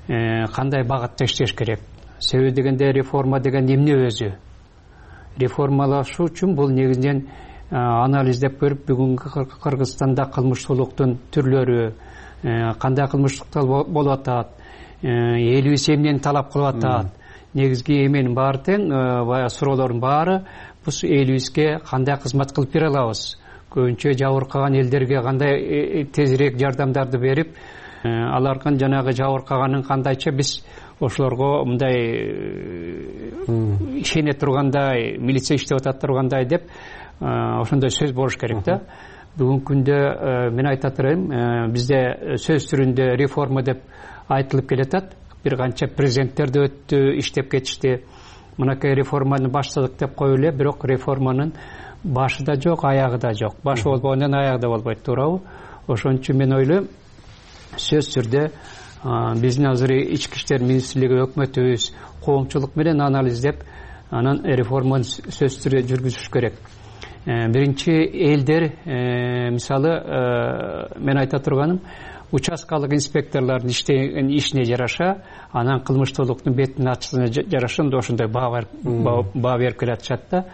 кандай багытта иштеш керек? Себеби дегенде реформа деген эмне өзү? Реформалашуу үчүн бул негизинен анализдеп көрүп, бүгүнкү Кыргызстанда кылмыштуулуктун түрлөрү, кандай кылмыштыктар болуп атат, элибиз эмнени талап кылып атат, негизги эменин баары тең, баягы суроолордун баары биз элибизге кандай кызмат кылып бере алабыз, көбүнчө жабыркаган элдерге кандай тезирээк жардамдарды берип, алардын жанагы жабыркаганын кандайча биз ошолорго мындай ишене тургандай, милиция иштеп атат тургандай деп ошондой сөз болуш керек да. Бүгүнкү күндө мен айта турайм, бизде сөз түрүндө реформа деп айтылып келатат. Бир канча президенттер да өттү, иштеп кетишти. Мынакей реформаны баштадык деп коюп эле, бирок реформанын башы да жок, аягы да жок. Башы болбогондон аягы да болбойт, туурабы? Ошон үчүн мен ойлойм, сөз түрдө биздин азыр ички иштер министрлиги өкмөтүбүз коомчулук менен анализдеп, анан реформаны сөз түрдө жүргүзүш керек. Биринчи элдер, мисалы, мен айта турганым, участкалык инспекторлордун ишине жараша, анан кылмыштуулуктун бетин ачышына жараша ошондой баа берип келатышат да.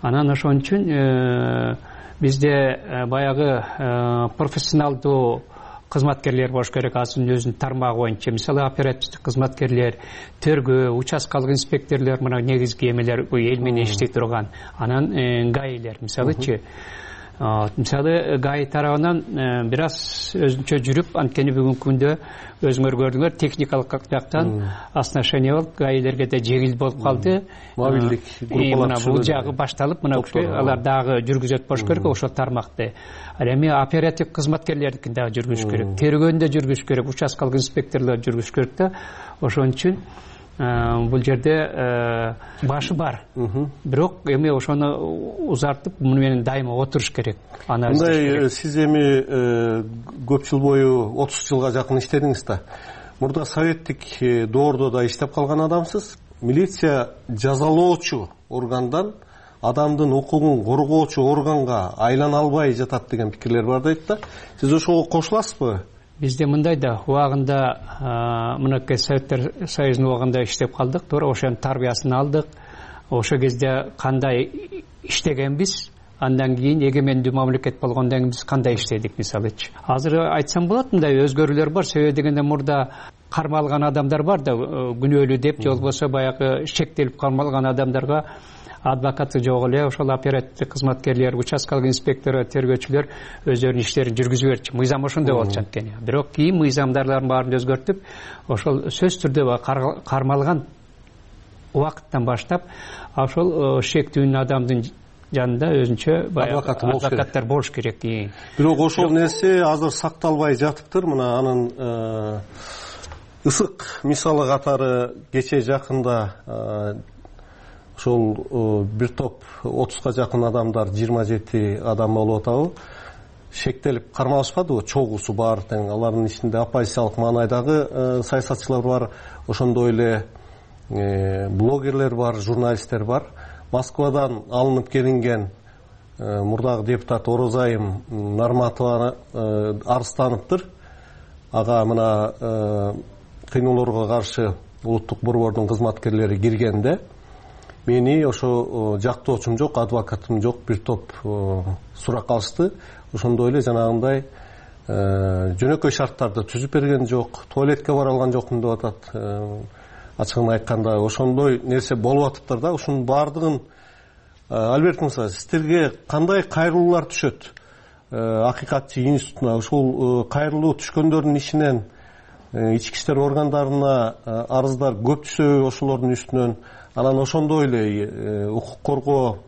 Анан ошон үчүн бизде баягы профессионалдуу кызматкерлер болуш керек, азырын өзүнүн тармагы боюнча. Мисалы оперативдик кызматкерлер, тергөө, участкалык инспекторлор, мына негизги эмелер эл менен иштей турган. Анан гаилер мисалычы. Мисалы ГАИ тарабынан бир аз өзүнчө жүрүп, анткени бүгүнкү күндө өзүңөр көрдүңөр, техникалык жактан осношение болуп, ГАИлерге да жеңил болуп калды. Мобилдик группалар бул жагы башталып, мына алар дагы жүргүзөт болуш керек ошол тармакты. Ал эми оператив кызматкерлердикин дагы жүргүзүш керек, тергөөнү да жүргүзүш керек, участкалык инспекторлор жүргүзүш керек да. Ошон үчүн бул жерде башы бар. Бирок эми ошону узартып, муну менен дайыма отуруш керек. Мындай, сиз эми көп жыл бою 30 жылга жакын иштедиңиз да. Мурда советтик доордо да иштеп калган адамсыз. Милиция жазалоочу органдан адамдын укугун коргоочу органга айлана албай жатат деген пикирлер бар дейт да. Сиз ошого кошуласызбы? Бизде мындай да, убагында мынакей Советтер Союзунун убагында иштеп калдык, туура ошонун тарбиясын алдык. Ошол кезде кандай иштегенбиз, андан кийин эгемендүү мамлекет болгондон кийин биз кандай иштедик мисалычы. Азыр айтсам болот, мындай өзгөрүүлөр бар. Себеби дегенде мурда кармалган адамдар бар да, күнөөлүү деп, же болбосо баягы шектелип кармалган адамдарга адвокаты жок эле ошол оперативдик кызматкерлер, участкалык инспектор, тергөөчүлөр өздөрүнүн иштерин жүргүзүп берчү. Мыйзам ошондой болчу анткени. Бирок кийин мыйзамдардын баарын өзгөртүп, ошол сөз түрдө кармалган убакыттан баштап ошол шектүүнүн адамдын жанында өзүнчө адвокаттар болуш керек. Бирок ошол нерсе азыр сакталбай жатыптыр. Мына анын ысык мисалы катары кечээ жакында ошол бир топ 30га жакын адамдар, 27 адам болуп атабы, шектелип кармалышпадыбы, чогуусу бар тең. Алардын ичинде оппозициялык маанайдагы саясатчылар бар, ошондой эле блогерлер бар, журналисттер бар. Москвадан алынып келинген мурдагы депутат Орозайым Нарматова арызданыптыр. Ага мына кыйноолорго каршы улуттук борбордун кызматкерлери киргенде мени ошо жактоочум жок, адвокатым жок, бир топ сурак алышты. Ошондой эле жанагындай жөнөкөй шарттарды түзүп берген жок, туалетке бара алган жокмун деп атат. Ачыгын айтканда ошондой нерсе болуп атыптыр да. Ушунун баардыгын Альберт Мырза, сиздерге кандай кайрылуулар түшөт? Акыйкатчы институтуна ушул кайрылуу түшкөндөрдүн ичинен ички иштер органдарына арыздар көп түшөбү ошолордун үстүнөн? Анан ошондой эле укук коргоо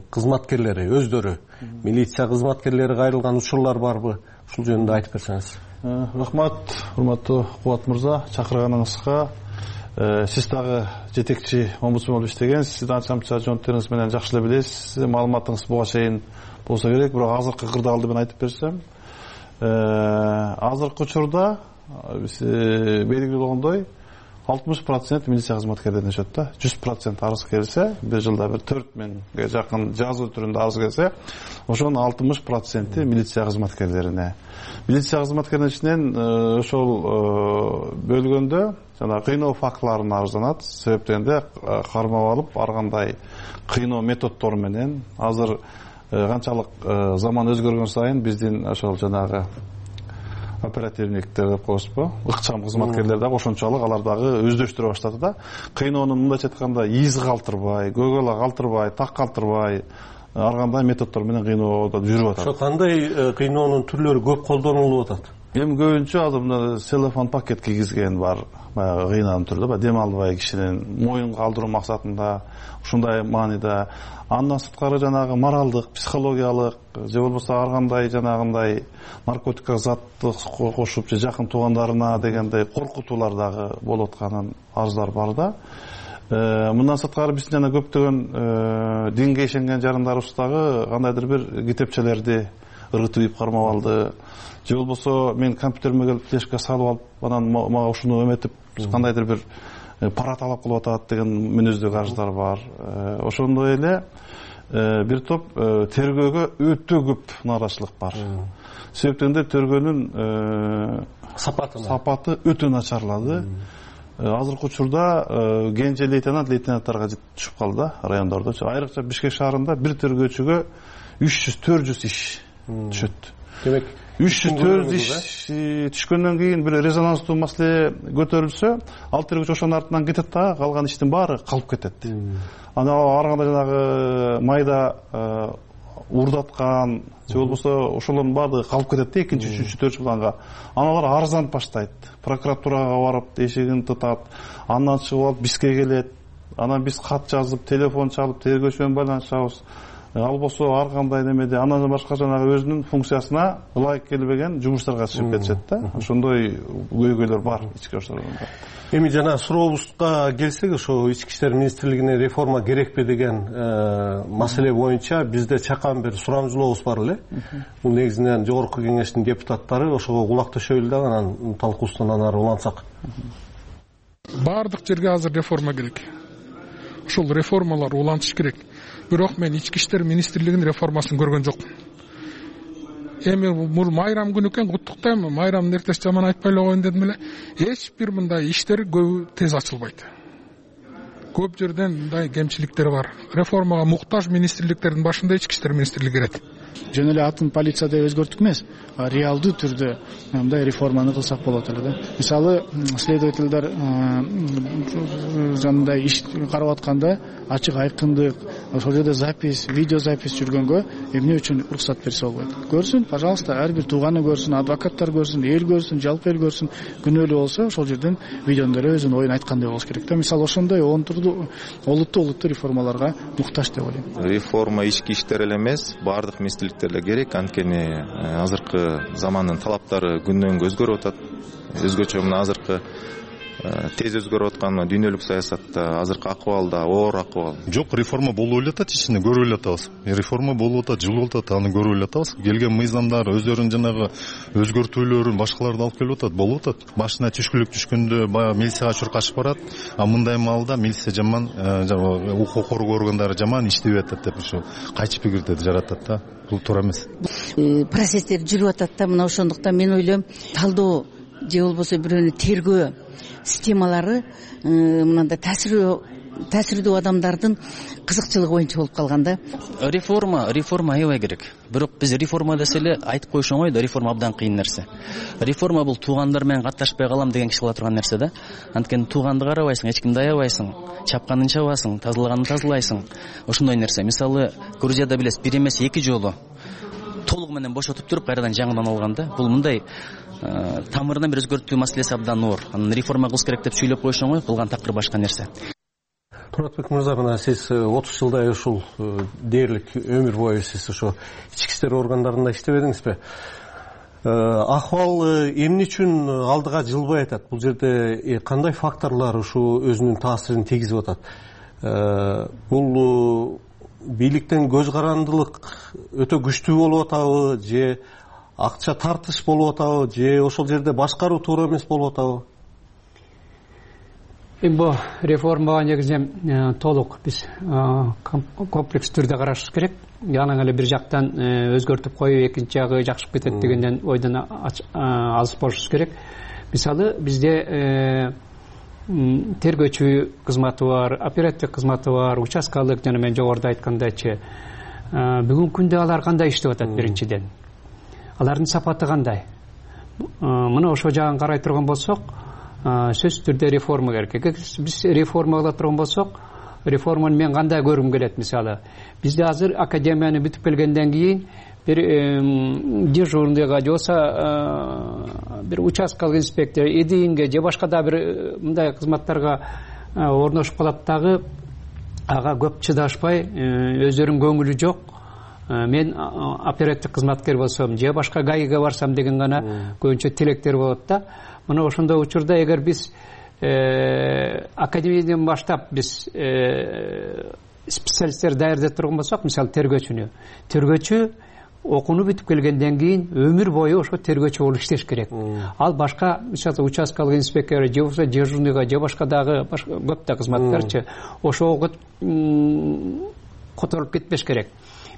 кызматкерлери өздөрү, милиция кызматкерлери кайрылган учурлар барбы? Ушул жөнүндө айтып берсеңиз. Рахмат, урматтуу Кубат мырза, чакырганыңызга. Сиз дагы жетекчи омбудсмен болуп иштегенсиз, сиздин анча-мынча жоонттериңиз менен жакшы эле билесиз. Маалыматыңыз буга чейин болсо керек, бирок азыркы кырдаалды мен айтып берсем, азыркы учурда белгилүү болгондой 60% милиция кызматкерлеринен өтөт да. 100% арыз келсе, бир жылда бир 4000ге жакын жазуу түрүндө арыз келсе, ошонун 60% милиция кызматкерлерине. Милиция кызматкерлеринин ичинен ошол бөлгөндө жана кыйноо фактыларына арызданат. Себеп дегенде кармап алып, ар кандай кыйноо методдору менен азыр канчалык заман өзгөргөн сайын биздин ошол жанагы оперативниктер деп коебузбу, ыкчам кызматкерлер дагы ошончолук алар дагы өздөштүрө баштады да. Кыйноонун мындайча айтканда из калтырбай, көөгөла калтырбай, так калтырбай, ар кандай методдор менен кыйноодо жүрүп атат. Ошо кандай кыйноонун түрлөрү көп колдонулуп атат? Эми көбүнчө азыр мына целлофан пакет кийгизген бар, баягы кыйнаанын түрүндө, дем албай кишинин моюн калтыруу максатында, ушундай мааниде. Андан сырткары жанагы моралдык, психологиялык, же болбосо ар кандай жанагындай наркотикалык затты кошуп, же жакын туугандарына дегендей коркутуулар дагы болуп атканын арыздар бар да. Мындан сырткары биздин жана көптөгөн динге ишенген жарандарыбыз дагы кандайдыр бир китепчелерди ыргытып ийип кармап алды. Же болбосо мен компьютериме келип флешка салып алып, анан мага ушуну эметип кандайдыр бир пара талап кылып атат деген мүнөздөгү арыздар бар. Ошондой эле бир топ тергөөгө өтө көп нааразычылык бар. Себеп дегенде тергөөнүн сапаты өтө начарлады. Азыркы учурда кенже лейтенанттарга түшүп калды райондордо. Айрыкча Бишкек шаарында бир тергөөчүгө 300-400 иш түшөт. Демек, 3-4 иш түшкөндөн кийин бир резонанстуу маселе көтөрүлсө, ал тергөөчү ошонун артынан кетет да, калган иштин баары калып кетет. Ана ар кандай жанагы майда уурдаткан же болбосо ошолордун баардыгы калып кетет да 2-3-4 планга. Аналар арызданып баштайт. Прокуратурага барып эшигин тытат. Андан чыгып алып бизге келет. Анан биз кат жазып, телефон чалып, тергөөчү менен байланышабыз. Ал болсо ар кандай немеде андан башка жанагы өзүнүн функциясына ылайык келбеген жумуштарга чыгып кетишет да. Ошондой көйгөйлөр бар ички оштордо. Эми жана сурообузга келсек, ошо ички иштер министрлигине реформа керекпи деген маселе боюнча бизде чакан бир сурамжылообуз бар эле. Бул негизинен жогорку кеңештин депутаттары ошого кулак төшөйлү да, анан талкуусунан ары улантсак. Бардык жерге азыр реформа керек. Ушул реформалар улантыш керек. Бирок мен ички иштер министрлигинин реформасын көргөн жокмун. Эми бул майрам күнү экен, куттуктайм. Майрамдын эртеси жаман айтпай эле коеюн дедим эле. Эч бир мындай иштер көбү тез ачылбайт. Көп жерден мындай кемчиликтер бар. Реформага муктаж министрликтердин башында ички иштер министрлиги кирет. Жөн эле атын полиция деп өзгөрттүк эмес, реалдуу түрдө мындай реформаны кылсак болот эле да. Мисалы, следовательдер жандай иш карап атканда ачык айкындык, ошол жерде запись, видео запись жүргөнгө эмне үчүн уруксат берсе болбойт? Көрсүн, пожалуйста, ар бир тууганы көрсүн, адвокаттар көрсүн, эл көрсүн, жалпы эл көрсүн. Күнөөлүү болсо, ошол жерден видеондор өзүнүн оюн айткандай болуш керек да. Мисалы, ошондой олуттуу реформаларга муктаж деп ойлойм. Реформа ички иштер эле эмес, бардык министрликтерге керек, анткени азыркы замандын талаптары күндөн-күнгө өзгөрүп атат. Өзгөчө мына азыркы тез өзгөрүп аткан дүйнөлүк саясатта азыркы акыбалда оор акыбал. Жок, реформа болуп эле атат, ичинде көрүп эле атабыз. Реформа болуп атат, жылып атат, аны көрүп эле атабыз. Келген мыйзамдар өздөрүнүн жанагы өзгөртүүлөрүн башкаларды алып келип атат, болуп атат. Башына түшкүлүк түшкөндө баягы милицияга чуркашып барат, а мындай маалда милиция жаман, укук коргоо органдары жаман иштебей атат деп ушу кайчы пикирди жаратат да. Бул туура эмес. Процесстер жүрүп атат да, мына ошондуктан мен ойлойм, талдоо же болбосо бирөөнү тергөө системалары мындай таасирдүү адамдардын кызыкчылыгы боюнча болуп калган да. Реформа аябай керек. Бирок биз реформа десе эле айтып коюш оңой да, реформа абдан кыйын нерсе. Реформа бул туугандар менен катташпай калам деген киши кыла турган нерсе да. Анткени тууганды карабайсың, эч кимди аябайсың, чапканын чабасың, тазалаганын тазалайсың. Ошондой нерсе. Мисалы, Грузияда билесиз, бир эмес 2 жолу толугу менен бошотуп туруп кайрадан жаңыдан алган да. Бул мындай тамырынан бир өзгөртүү маселеси абдан оор. Анан реформа кылыш керек деп сүйлөп коюш оңой, кылган такыр башка нерсе. Туратбек мырза, мына сиз 30 жылдай ушул дээрлик өмүр бою сиз ошо ички иштер органдарында иштебедиңизби? Акыбал эмне үчүн алдыга жылбай атат? Бул жерде кандай факторлор ушу өзүнүн таасирин тийгизип атат? Бул бийликтен көз карандылык өтө күчтүү болуп атабы, же акча тартыш болуп атабы, же ошол жерде башкаруу туура эмес болуп атабы? Бул реформага негизинен толук биз комплекс түрдө карашыбыз керек. Яна эле бир жактан өзгөртүп коюп, экинчи жагы жакшып кетет дегенден ойдон алыс болушубуз керек. Мисалы, бизде тергөөчү кызматы бар, оперативдик кызматы бар, участкалык, жана мен жогоруда айткандайчы. Бүгүнкү күндө алар кандай иштеп атат биринчиден? Алардын сапаты кандай? Мына ошол жагын карай турган болсок, сөзсүз түрдө реформа керек. Биз реформа кыла турган болсок, реформаны мен кандай көргүм келет? Мисалы, бизде азыр академияны бүтүп келгенден кийин бир дежурныйга же болбосо бир участкалык инспектор, эдинге же башка да бир мындай кызматтарга орношуп калат дагы, ага көп чыдашпай, өздөрүнүн көңүлү жок. Мен оперативдик кызматкер болсом же башка ГАИге барсам деген гана көбүнчө тилектер болот да. Мына ошондой учурда эгер биз академиядан баштап биз специалисттер даярдап турган болсок, мисалы тергөөчү окууну бүтүп келгенден кийин өмүр бою ошо тергөөчү болуп иштеш керек. Ал башка, мисалы участкалык инспектор же болбосо дежурныйга же башка дагы көп да кызматтарчы ошого которуп кетпеш керек.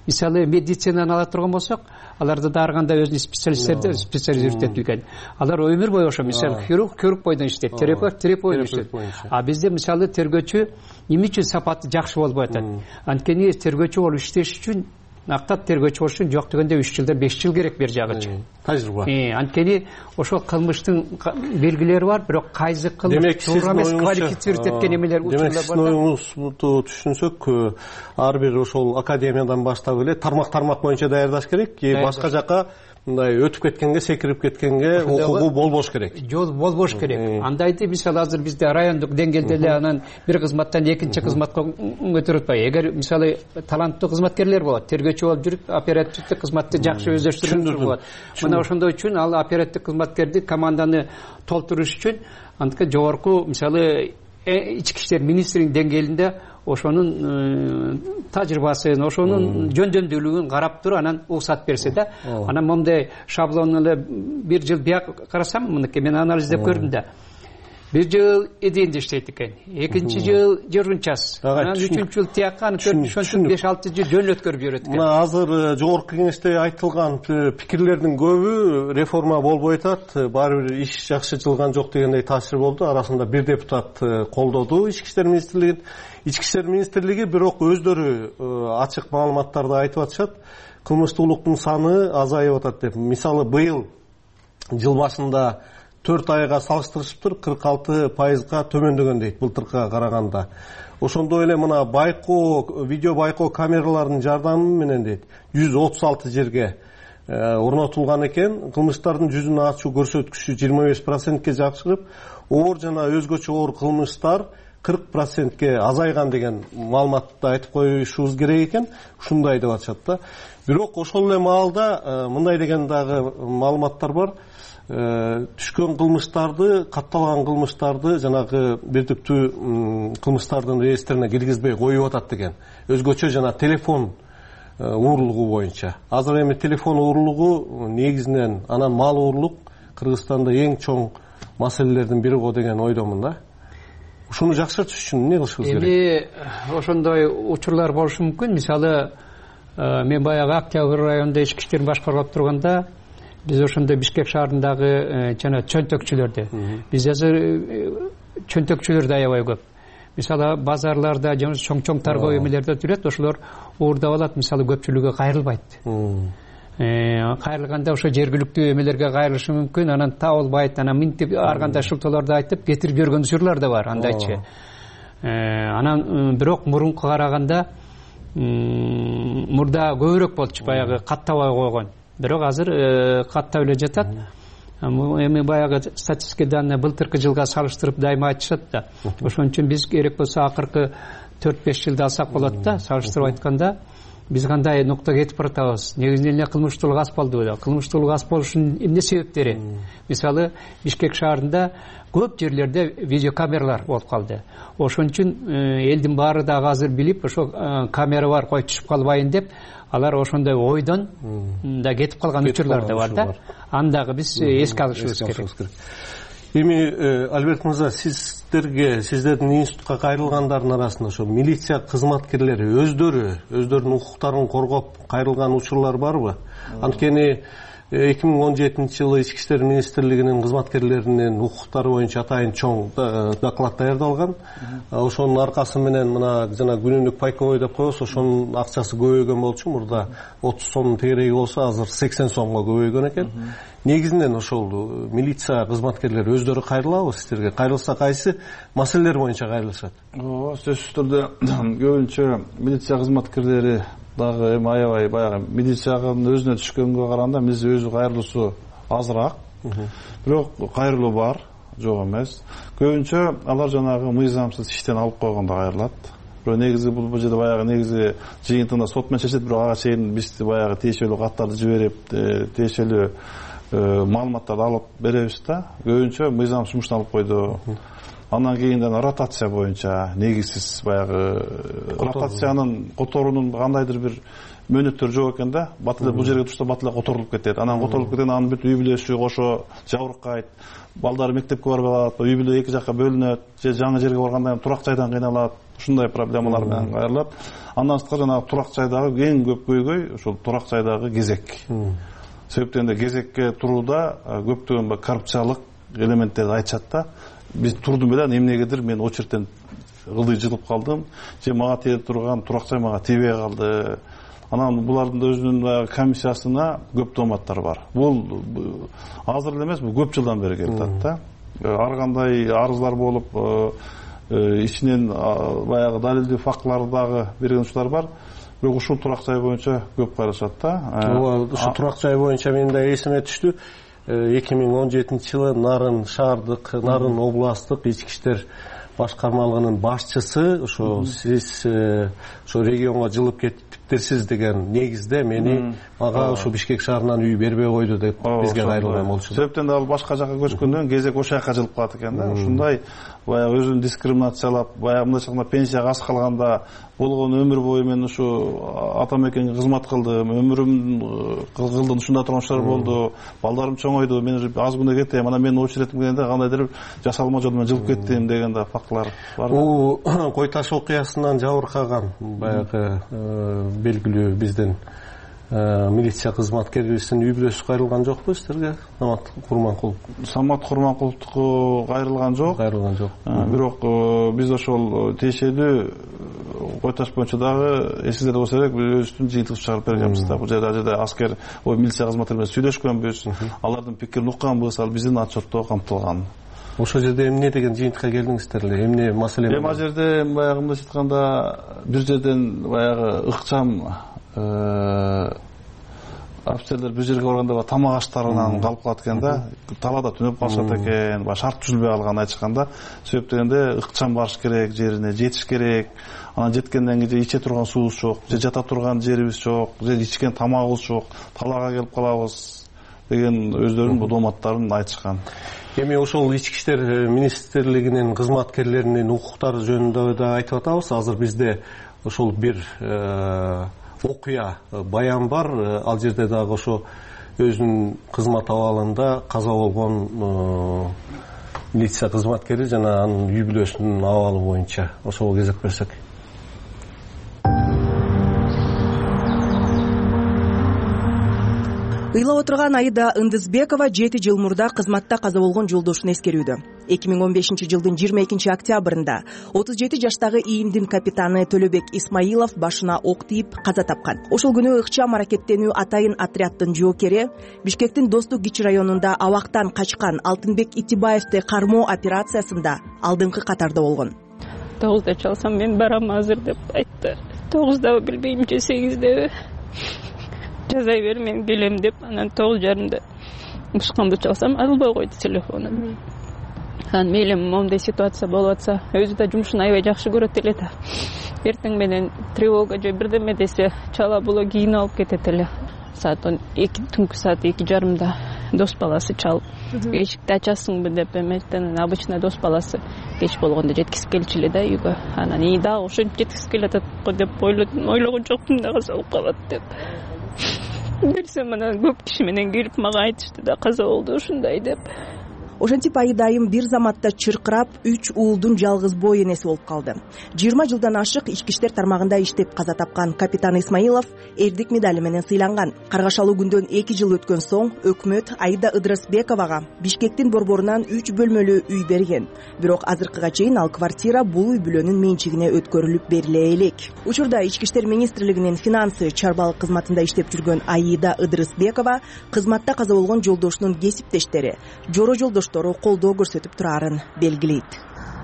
Мисалы, медицинаны ала турган болсок, аларда да ар кандай өзүнүн специализиртетилген. Алар өмүр бою ошо, мисалы, хирург бойдон иштейт, терапевт бойдон иштейт. А бизде мисалы тергөөчү эмне үчүн сапаты жакшы болбой атат? Анткени тергөөчү болуп иштеш үчүн актап тергөөчү болуш үчүн жок дегенде 3 жылдан 5 жыл керек бер жагычы. Тажрыйба. Анткени ошол кылмыштын белгилери бар, бирок кайсы кылмыш туура эмес квалифицировать эткен эмелер учурлар бар. Демек оюңузду түшүнсөк, ар бир ошол академиядан баштап эле тармак боюнча даярдаш керек, башка жака мындай өтүп кеткенге, секирип кеткенге укугу болбош керек. Жол болбош керек. Андайды мисалы азыр бизде райондук деңгээлде эле анан бир кызматтан экинчи кызматка көтөрүп атпайбы. Эгер мисалы таланттуу кызматкерлер болот, тергөөчү болуп жүрүп, оперативдик кызматты жакшы өздөштүргөн болот. Мына ошондой үчүн ал оперативдик кызматкерди команданы толтуруш үчүн антка жогорку мисалы ички иштер министринин деңгээлинде ошонун тажрыйбасын, ошонун жөндөмдүүлүгүн карап туруп анан уруксат берсе да, анан момундай шаблон эле бир жыл бияк карасам, мынакей мен анализдеп көрдүм да. Бир жыл эденде иштейт экен, экинчи жыл жөргүн час, анан үчүнчү жыл тиякка, анан төртүнчү 5-6 жыл жөн өткөрүп жүрөт экен. Мына азыр жогорку кеңеште айтылган пикирлердин көбү реформа болбой атат, баары бир иш жакшы жылган жок дегендей таасир болду. Арасында бир депутат колдоду ички иштер министрлигин. Ички иштер министрлиги бирок өздөрү ачык маалыматтарды айтып атышат. Кылмыштуулуктун саны азайып атат деп. Мисалы быйыл жыл башында 4 айга салыштырышыптыр, 46%га төмөндөгөн дейт былтыркыга караганда. Ошондой эле мына видео байкоо камераларынын жардамы менен дейт 136 жерге орнотулган экен. Кылмыштардын жүзүн ачуу көрсөткүчү 25%ке жакшырып, оор жана өзгөчө оор кылмыштар 40%ке азайган деген маалыматты айтып коюшубуз керек экен. Ушундай деп атышат да. Бирок ошол эле маалда мындай деген дагы маалыматтар бар. Түшкөн кылмыштарды, катталган кылмыштарды жанагы бирдиктүү кылмыштардын реестрине киргизбей коюп атат деген. Өзгөчө жана телефон уурулугу боюнча. Азыр эми телефон уурулугу негизинен анан мал уурлук Кыргызстанда эң чоң маселелердин бири го деген ойдомун да. Ушуну жакшыртыш үчүн эмне кылышыбыз керек? Эми ошондой учурлар болушу мүмкүн. Мисалы мен баягы Октябрь районунда ички иштерин башкарып турганда биз ошондой Бишкек шаарындагы жана чөнтөкчүлөрдү, биз азыр чөнтөкчүлөр да аябай көп. Мисалы базарларда жана чоң торговый эмелерде жүрөт, ошолор уурдап алат, мисалы көпчүлүгү кайрылбайт. Кайрылганда ошо жергиликтүү эмелерге кайрылышы мүмкүн, анан табылбайт, анан минтип ар кандай шылтоолорду айтып кетирип жиберген учурлар да бар, андайчы. Анан бирок мурунку караганда мурда көбүрөөк болчу, баягы каттабай койгон. Бирок азыр каттап эле жатат. Эми баягы статистика данные былтыркы жылга салыштырып дайыма айтышат да. Ошон үчүн биз керек болсо акыркы 4-5 жылды алсак болот да, салыштырып айтканда. Биз кандай нуктага кетип баратабыз? Негизинен эле кылмыштуулук аз болду. Кылмыштуулук аз болушунун эмне себептери? Мисалы Бишкек шаарында көп жерлерде видеокамералар болуп калды. Ошон үчүн элдин баары дагы азыр билип, ошо камера бар, кой түшүп калбайын деп, алар ошондой ойдон да кетип калган учурлар да бар да. Аны дагы биз эске алышыбыз керек. Эми Альберт мырза, сиздердин институтка кайрылгандардын арасында ошо милиция кызматкерлери өздөрүнүн укуктарын коргоп кайрылган учурлар барбы? Анткени 2017 жылы ички иштер министрлигинин кызматкерлеринин укуктары боюнча атайын чоң доклад даярдалган. Ошонун аркасы менен мына жана күнүнүк пайковой деп коебуз, ошонун акчасы көбөйгөн болчу. Мурда 30 сомдун тегереги болсо, азыр 80 сомго көбөйгөн экен. Негизинен ошол милиция кызматкерлери өздөрү кайрылабы сиздерге? Кайрылса кайсы маселелер боюнча кайрылышат? Сөзсүз түрдө көбүнчө милиция кызматкерлери дагы эми аябай баягы милициянын өзүнө түшкөнгө караганда биз өзү кайрылуусу азыраак. Бирок кайрылуу бар, жок эмес. Көбүнчө алар жанагы мыйзамсыз иштен алып койгондо кайрылат. Бирок негизи бул жерде баягы негизи жыйынтыгында сот менен чечет, бирок ага чейин биз баягы тиешелүү каттарды жиберип, тиешелүү маалыматтарды алып беребиз да. Көбүнчө мыйзам жумуштан алып койду. Андан кийин ротация боюнча негизсиз баягы ротациянын которуунун кандайдыр бир мөөнөттөрү жок экен да. Бат эле бул жерге турса бат эле которулуп кетет. Анан которулуп кеткен анын бүт үй бүлөсү кошо жабыркайт. Балдары мектепке барбай калат, үй бүлө эки жакка бөлүнөт, же жаңы жерге барганда турак жайдан кыйналат. Ушундай проблемалар менен кайрылат. Андан сырткары жанагы турак жайдагы эң көп көйгөй ошол турак жайдагы кезек. Себептен да кезекке турууда көптөгөн коррупциялык элементтерди айтышат да. Биз турдум эле, эмнегедир мен очередтен ылдый жылып калдым, же мага тие турган турак жай мага тийбей калды. анан булардын өзүнүн баягы комиссиясына көп дооматтар бар. Бул азыр эле эмес, бул көп жылдан бери келип атат да. Ар кандай арыздар болуп, ичинен баягы далилдүү фактыларды дагы берген учурлар бар. Бирок ушул турак жай боюнча көп кайрылышат да. Ооба, ушул турак жай боюнча менин да эсиме түштү. 2017-жылы Нарын шаардык, Нарын областтык ички иштер башкармалыгынын башчысы ошо сиз ошо регионго жылып кеттиптерсиз деген негизде мага ошо Бишкек шаарынан үй бербей койду деп бизге кайрылган болчу. Себептен ал башка жака көчкөндөн кезек ошол жака жылып калат экен да. Ушундай баягы өзүн дискриминациялап, баягы мындайча айтканда пенсияга аз калганда болгон өмүр бою мен ушу ата мекенге кызмат кылдым, өмүрүм кылдым, ушундай турмуштар болду, балдарым чоңойду, мен уже аз күндө кетем, анан менин очередим келгенде кандайдыр жасалма жолдон мен жылып кеттим деген да фактылар бар. Бул Кой таш окуясынан жабыркаган баягы белгилүү биздин милиция кызматкерибиздин үй бүлөсү кайрылган жокпу сиздерге? Самат Курманкулов. Самат Курманкуловдуку кайрылган жок. Бирок биз ошол тиешелүү Кой таш боюнча дагы эсиңизде болсо керек, өзүбүздүн жыйынтыгыбызды чыгарып бергенбиз да. Бул жерде аскер, милиция кызматкерлери менен сүйлөшкөнбүз, алардын пикирин укканбыз, ал биздин отчетто камтылган. Ошол жерде эмне деген жыйынтыкка келдиңиздер эле? Эмне маселе? Ал жерде баягы мындайча айтканда бир жерден баягы ыкчам офицерлер бир жерге барганда тамак аштарынан калып калат экен да, талаада түнөп калышат экен, шарт түзүлбөй калган айчканда, себеп дегенде ыкчам барыш керек, жерине жетиш керек. Анан жеткенден кийин иче турган суубуз жок, же жата турган жерибиз жок, же ичкен тамагыбыз жок, талаага келип калабыз деген өздөрүнүн дооматтарын айтышкан. Эми ошол ички иштер министрлигинин кызматкерлеринин укуктары жөнүндө да айтып атабыз. Азыр бизде ошол бир окуя баян бар. Ал жерде дагы ошо өзүнүн кызмат абалында каза болгон милиция кызматкери жана анын үй бүлөсүнүн абалы боюнча ошого кезек берсек. Ыйлап отурган Аида Ындызбекова 7 жыл мурда кызматта каза болгон жолдошун эскерүүдө. 2015-жылдын 22-октябрында 37 жаштагы ИИМдин капитаны Төлөбек Исмаилов башына ок тийип каза тапкан. Ошол күнү ыкчам аракеттенүү атайын отряддын жоокери Бишкектин Достук кичи районунда абактан качкан Алтынбек Итибаевди кармоо операциясында алдыңкы катарда болгон. 9-да чалсам мен барам азыр деп айтты. 9-дабы билбейм же 8-деби. Жазай бер, мен келем деп, анан 9:30-да ушканды чалсам, албай койду телефонун. Анан мейли моундай ситуация болуп атса, өзү да жумушун аябай жакшы көрөт эле да. Эртең менен тревога же бирдеме десе, чала була кийинип алып кетет эле. Саат 2, түнкү саат 2:30-да дос баласы чалып, эшикти ачасыңбы деп эметтен, обычно дос баласы кеч болгондо жеткирип келчү эле да үйгө. Анан ии дагы ошентип жеткирип келатат го деп ойлогон жокмун да каза болуп калат деп. Берсем анан көп киши менен келип мага айтышты да каза болду ушундай деп. Ошентип Айдайым бир заматта чыркырап 3 уулдун жалгыз бой энеси болуп калды. 20 жылдан ашык ички иштер тармагында иштеп каза тапкан капитан Исмаилов эрдик медали менен сыйланган. Каргашалуу күндөн 2 жыл өткөн соң өкмөт Аида Ыдрысбековага Бишкектин борборунан 3 бөлмөлүү үй берген. Бирок азыркыга чейин ал квартира бул үй бүлөнүн менчигине өткөрүлүп бериле элек. Учурда ички иштер министрлигинин финансы чарбалык кызматында иштеп жүргөн Аида Ыдрысбекова кызматта каза болгон жолдошунун кесиптештери, жоро жолдош колдоо көрсөтүп турарын белгилейт.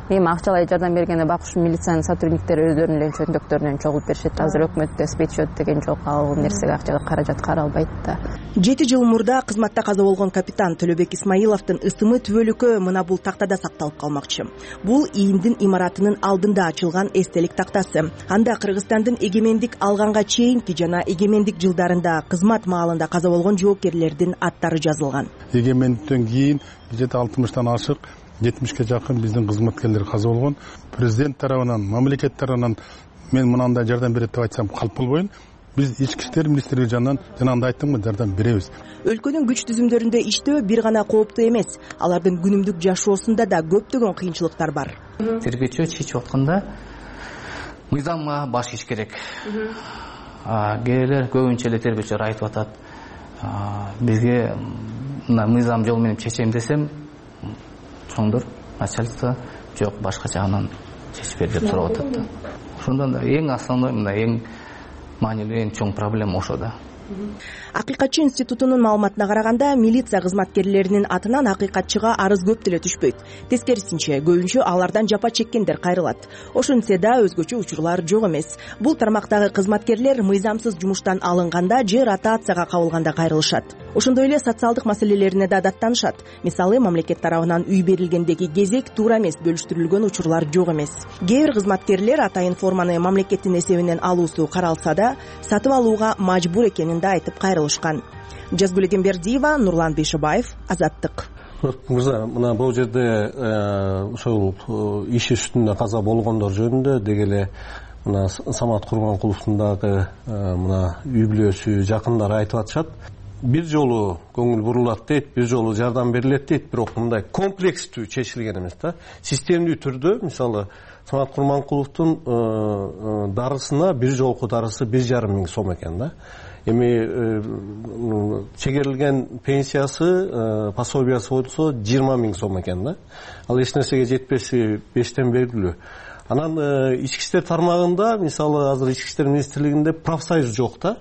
Эми акчалай жардам бергенде бакуш милициянын сотрудниктери өздөрүнүн эле чөндөктөрүнөн чогулуп беришет. Азыр өкмөттө спецсчет деген жок, ал нерсеге акчага каражат каралбайт да. 7 жыл мурда кызматта каза болгон капитан Төлөбек Исмаиловдун ысымы түбөлүккө мына бул тактада сакталып калмакчы. Бул ИИМдин имаратынын алдында ачылган эстелик тактасы. Анда Кыргызстандын эгемендик алганга чейинки жана эгемендик жылдарында кызмат маалында каза болгон жоокерлердин аттары жазылган. Эгемендиктен кийин 60-тан ашык 70-ке жакын биздин кызматкерлер каза болгон. Президент тарабынан, мамлекет тарабынан мен мынандай жардам берет деп айтсам калп болбойм. Биз ички иштер министрлиги жанынан жанагындай айттымбы, жардам беребиз. Өлкөнүн күч түзүмдөрүндө иштөө бир гана кооптуу эмес, алардын күнүмдүк жашоосунда да көптөгөн кыйынчылыктар бар. Тергөөчү чечип атканда мыйзамга баш ийиш керек. Кээделер көбүнчө эле тергөөчүлөр айтып атат, бизге мына мыйзам жол менен чечем десем, чоңдор начальство жок, башка жагынан чечип бер деп сурап атат да. Ошондон да эң основной мына эң маанилүү эң чоң проблема ошо да. Акыйкатчы институтунун маалыматына караганда, милиция кызматкерлеринин атынан акыйкатчыга арыз көп деле түшпөйт. Тескерисинче, көбүнчө алардан жапа чеккендер кайрылат. Ошентсе да өзгөчө учурлар жок эмес. Бул тармактагы кызматкерлер мыйзамсыз жумуштан алынганда же ротацияга кабылганда кайрылышат. Ошондой эле социалдык маселелерине да даттанышат. Мисалы, мамлекет тарабынан үй берилгендеги кезек туура эмес бөлүштүрүлгөн учурлар жок эмес. Кээ бир кызматкерлер атайын форманы мамлекеттин эсебинен алуусу каралса да, сатып алууга мажбур экенин да айтып кайрылышкан. Жазгүл Эгембердиева, Нурлан Бейшебаев, Азаттык. Мырза, мына бул жерде ошол иш үстүндө каза болгондор жөнүндө деги эле мына Самат Курманкуловдун дагы мына үй бүлөсү, жакындары айтып атышат. Бир жолу көңүл бурулат дейт, бир жолу жардам берилет дейт, бирок мындай комплекстүү чечилген эмес да. Системдүү түрдө, мисалы, Самат Курманкуловдун дарысына бир жолку дарысы 1,5 миң сом экен да. Эми чегерилген пенсиясы, пособиясы болсо 20 миң сом экен да. Ал эч нерсеге жетпеси 5тен белгилүү. Анан ички иштер тармагында, мисалы, азыр ички иштер министрлигинде профсоюз жок да.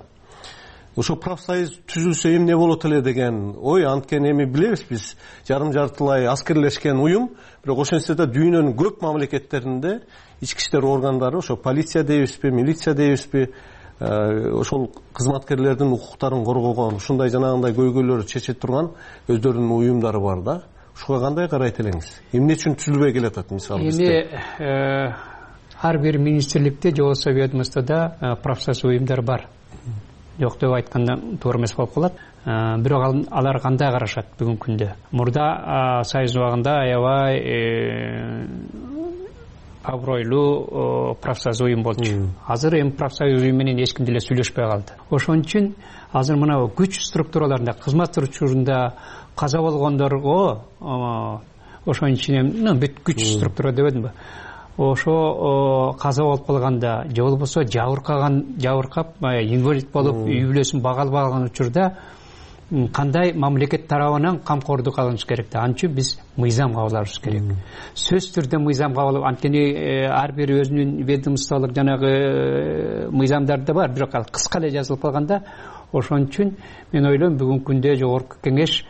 Ошо профсоюз түзүлсө эмне болот эле деген ой, анткени эми билебиз биз жарым-жартылай аскерлешкен уюм, бирок ошентсе да дүйнөнүн көп мамлекеттеринде ички иштер органдары, ошо полиция дейбизби, милиция дейбизби, ошол кызматкерлердин укуктарын коргогон, ушундай жанагындай көйгөйлөрдү чече турган өздөрүнүн уюмдары бар да. Ушуга кандай карайт элеңиз? Эмне үчүн түзүлбөй келатат мисалы бизде? Ар бир министрликте же болбосо ведомствода профсоюз уюмдар бар. Жок деп айтканда туура эмес болуп калат. Бирок алар кандай карашат бүгүнкү күндө? Мурда союз убагында аябай абройлуу профсоюз уюм болчу. Азыр эми профсоюз уюм менен эч ким деле сүйлөшпөй калды. Ошон үчүн азыр мына күч структураларында, кызмат учурунда каза болгондорго ошонун ичинен бүт күч структура дебедимби? Ошо каза болуп калганда же болбосо жабыркап инвалид болуп үй бүлөсүн бага албай калган учурда кандай мамлекет тарабынан камкордук алыныш керек да. Ал үчүн биз мыйзам кабыл алышыбыз керек. Сөзсүз түрдө мыйзам кабыл, анткени ар бир өзүнүн ведомстволук жанагы мыйзамдары да бар, бирок ал кыска эле жазылып калганда. Ошон үчүн мен ойлойм, бүгүнкү күндө жогорку кеңеш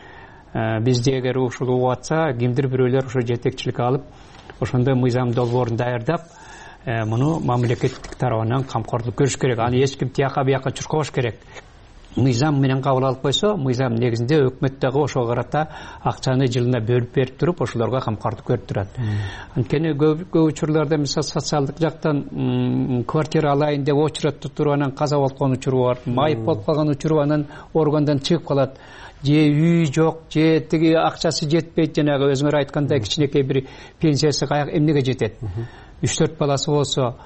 бизде эгер ушул угуп атса, кимдир бирөөлөр ошо жетекчилик алып, ошондой мыйзам долбоорун даярдап, муну мамлекеттик тарабынан камкордук көрүш керек. Аны эч ким тияка бияка чуркабаш керек. Мыйзам менен кабыл алып койсо, мыйзам негизинде өкмөт дагы ошого карата акчаны жылына бөлүп берип туруп, ошолорго камкордук көрүп турат. Анткени көп учурларда мисалы социалдык жактан квартира алайын деп очередте туруп анан каза болуп калган учуру бар. Майып болуп калган учуру анан органдан чыгып калат. Же үй жок, же тиги акчасы жетпейт, жанагы өзүңөр айткандай кичинекей бир пенсиясы эмнеге жетет. 3-4 баласы болсо,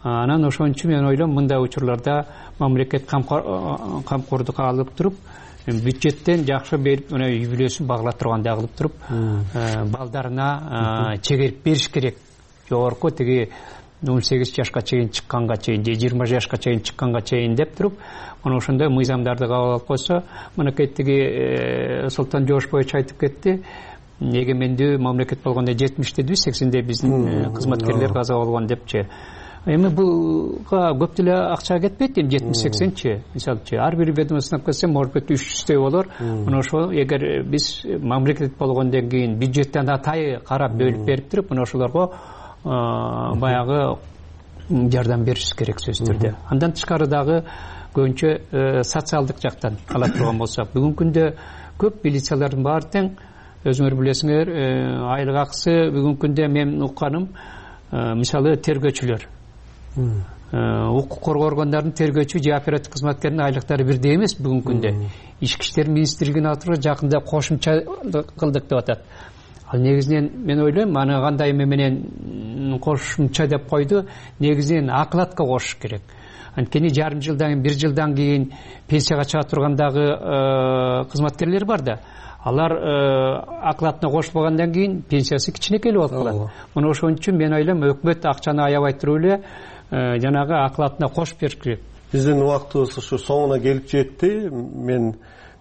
анан ошон үчүн мен ойлойм, мындай учурларда мамлекет камкордук алып туруп, бюджеттен жакшы берип, мына үй бүлөсүн багыла тургандай кылып туруп, балдарына чегерип бериш керек. Жогорку тиги 18 жашка чейин чыкканга чейин, же 20 жашка чейин чыкканга чейин деп туруп, мына ошондой мыйзамдарды кабыл алып койсо, мынакей тиги Султан Жошбоевич айтып кетти, эгемендүү мамлекет болгондо 70 дедиби, 80де биздин кызматкерлер каза болгон депчи. Эми буга көп деле акча кетпейт, эми 70-80чи, мисалчы ар бир ведомстводан келсе, может быть 300 болор. Мына ошо эгер биз мамлекет болгондон кийин бюджеттен атайы карап бөлүп берип туруп, мына ошолорго баягы жардам беришибиз керек сөзсүз түрдө. Андан тышкары дагы көбүнчө социалдык жактан ала турган болсок, бүгүнкү күндө көп милициялардын баары тең, өзүңөр билесиңер, айлык акысы бүгүнкү күндө мен укканым, мисалы тергөөчүлөр, укук коргоо органдарынын тергөөчү же оперативдик кызматкердин айлыктары бирдей эмес бүгүнкү күндө. Ички иштер министрлигинин атырга жакында кошумча кылдык деп атат. Ал негизинен мен ойлойм, аны кандай менен кошумча деп койду, негизинен акылатка кошуш керек. Анткени жарым жылдан, 1 жылдан кийин пенсияга чыга тургандагы кызматкерлер бар да. Алар акылатына кошулгандан кийин пенсиясы кичинекей болуп калат. Мына ошон үчүн мен ойлойм, өкмөт акчаны аябай туруп эле жанагы акылатына кошуп бериш керек. Биздин убактыбыз ушу соңуна келип жетти. Мен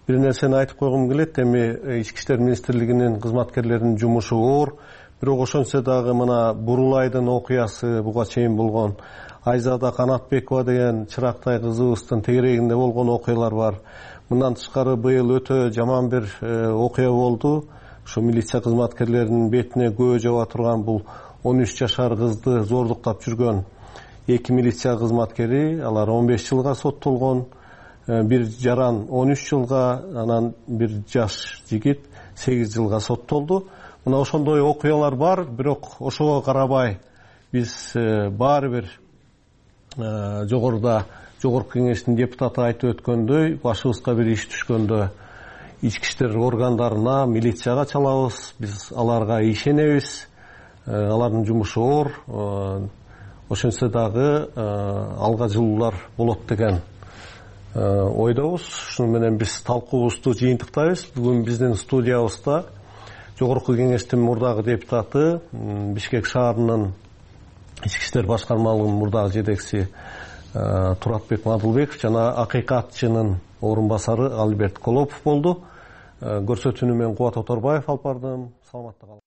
бир нерсени айтып койгум келет. Эми ички иштер министрлигинин кызматкерлеринин жумушу оор, бирок ошентсе дагы мына Бурулайдын окуясы буга чейин болгон, Айзада Канатбекова деген чырактай кызыбыздын тегерегинде болгон окуялар бар. Мындан тышкары быйыл өтө жаман бир окуя болду. Ошо милиция кызматкерлеринин бетине көө жаба турган бул 13 жашар кызды зордуктап жүргөн 2 милиция кызматкери, алар 15 жылга соттолгон. Бир жаран 13 жылга, анан бир жаш жигит 8 жылга соттолду. Мына ошондой окуялар бар, бирок ошого карабай биз баары бир жогорку кеңештин депутаты айтып өткөндөй, башыбызга бир иш түшкөндө ички иштер органдарына, милицияга чалабыз. Биз аларга ишенебиз. Алардын жумушу оор. Ошентсе дагы алга жылуулар болот деген ойдобуз. Ушуну менен биз талкуубузду жыйынтыктайбыз. Бүгүн биздин студиябызда жогорку кеңештин мурдагы депутаты, Бишкек шаарынын ички иштер башкармалыгынын мурдагы жетекчиси Туратбек Мадылбеков жана акыйкатчынын орун басары Алберт Колопов болду. Көрсөтүүнү мен Кубат Оторбаев алып бардым. Саламатта калыңыз.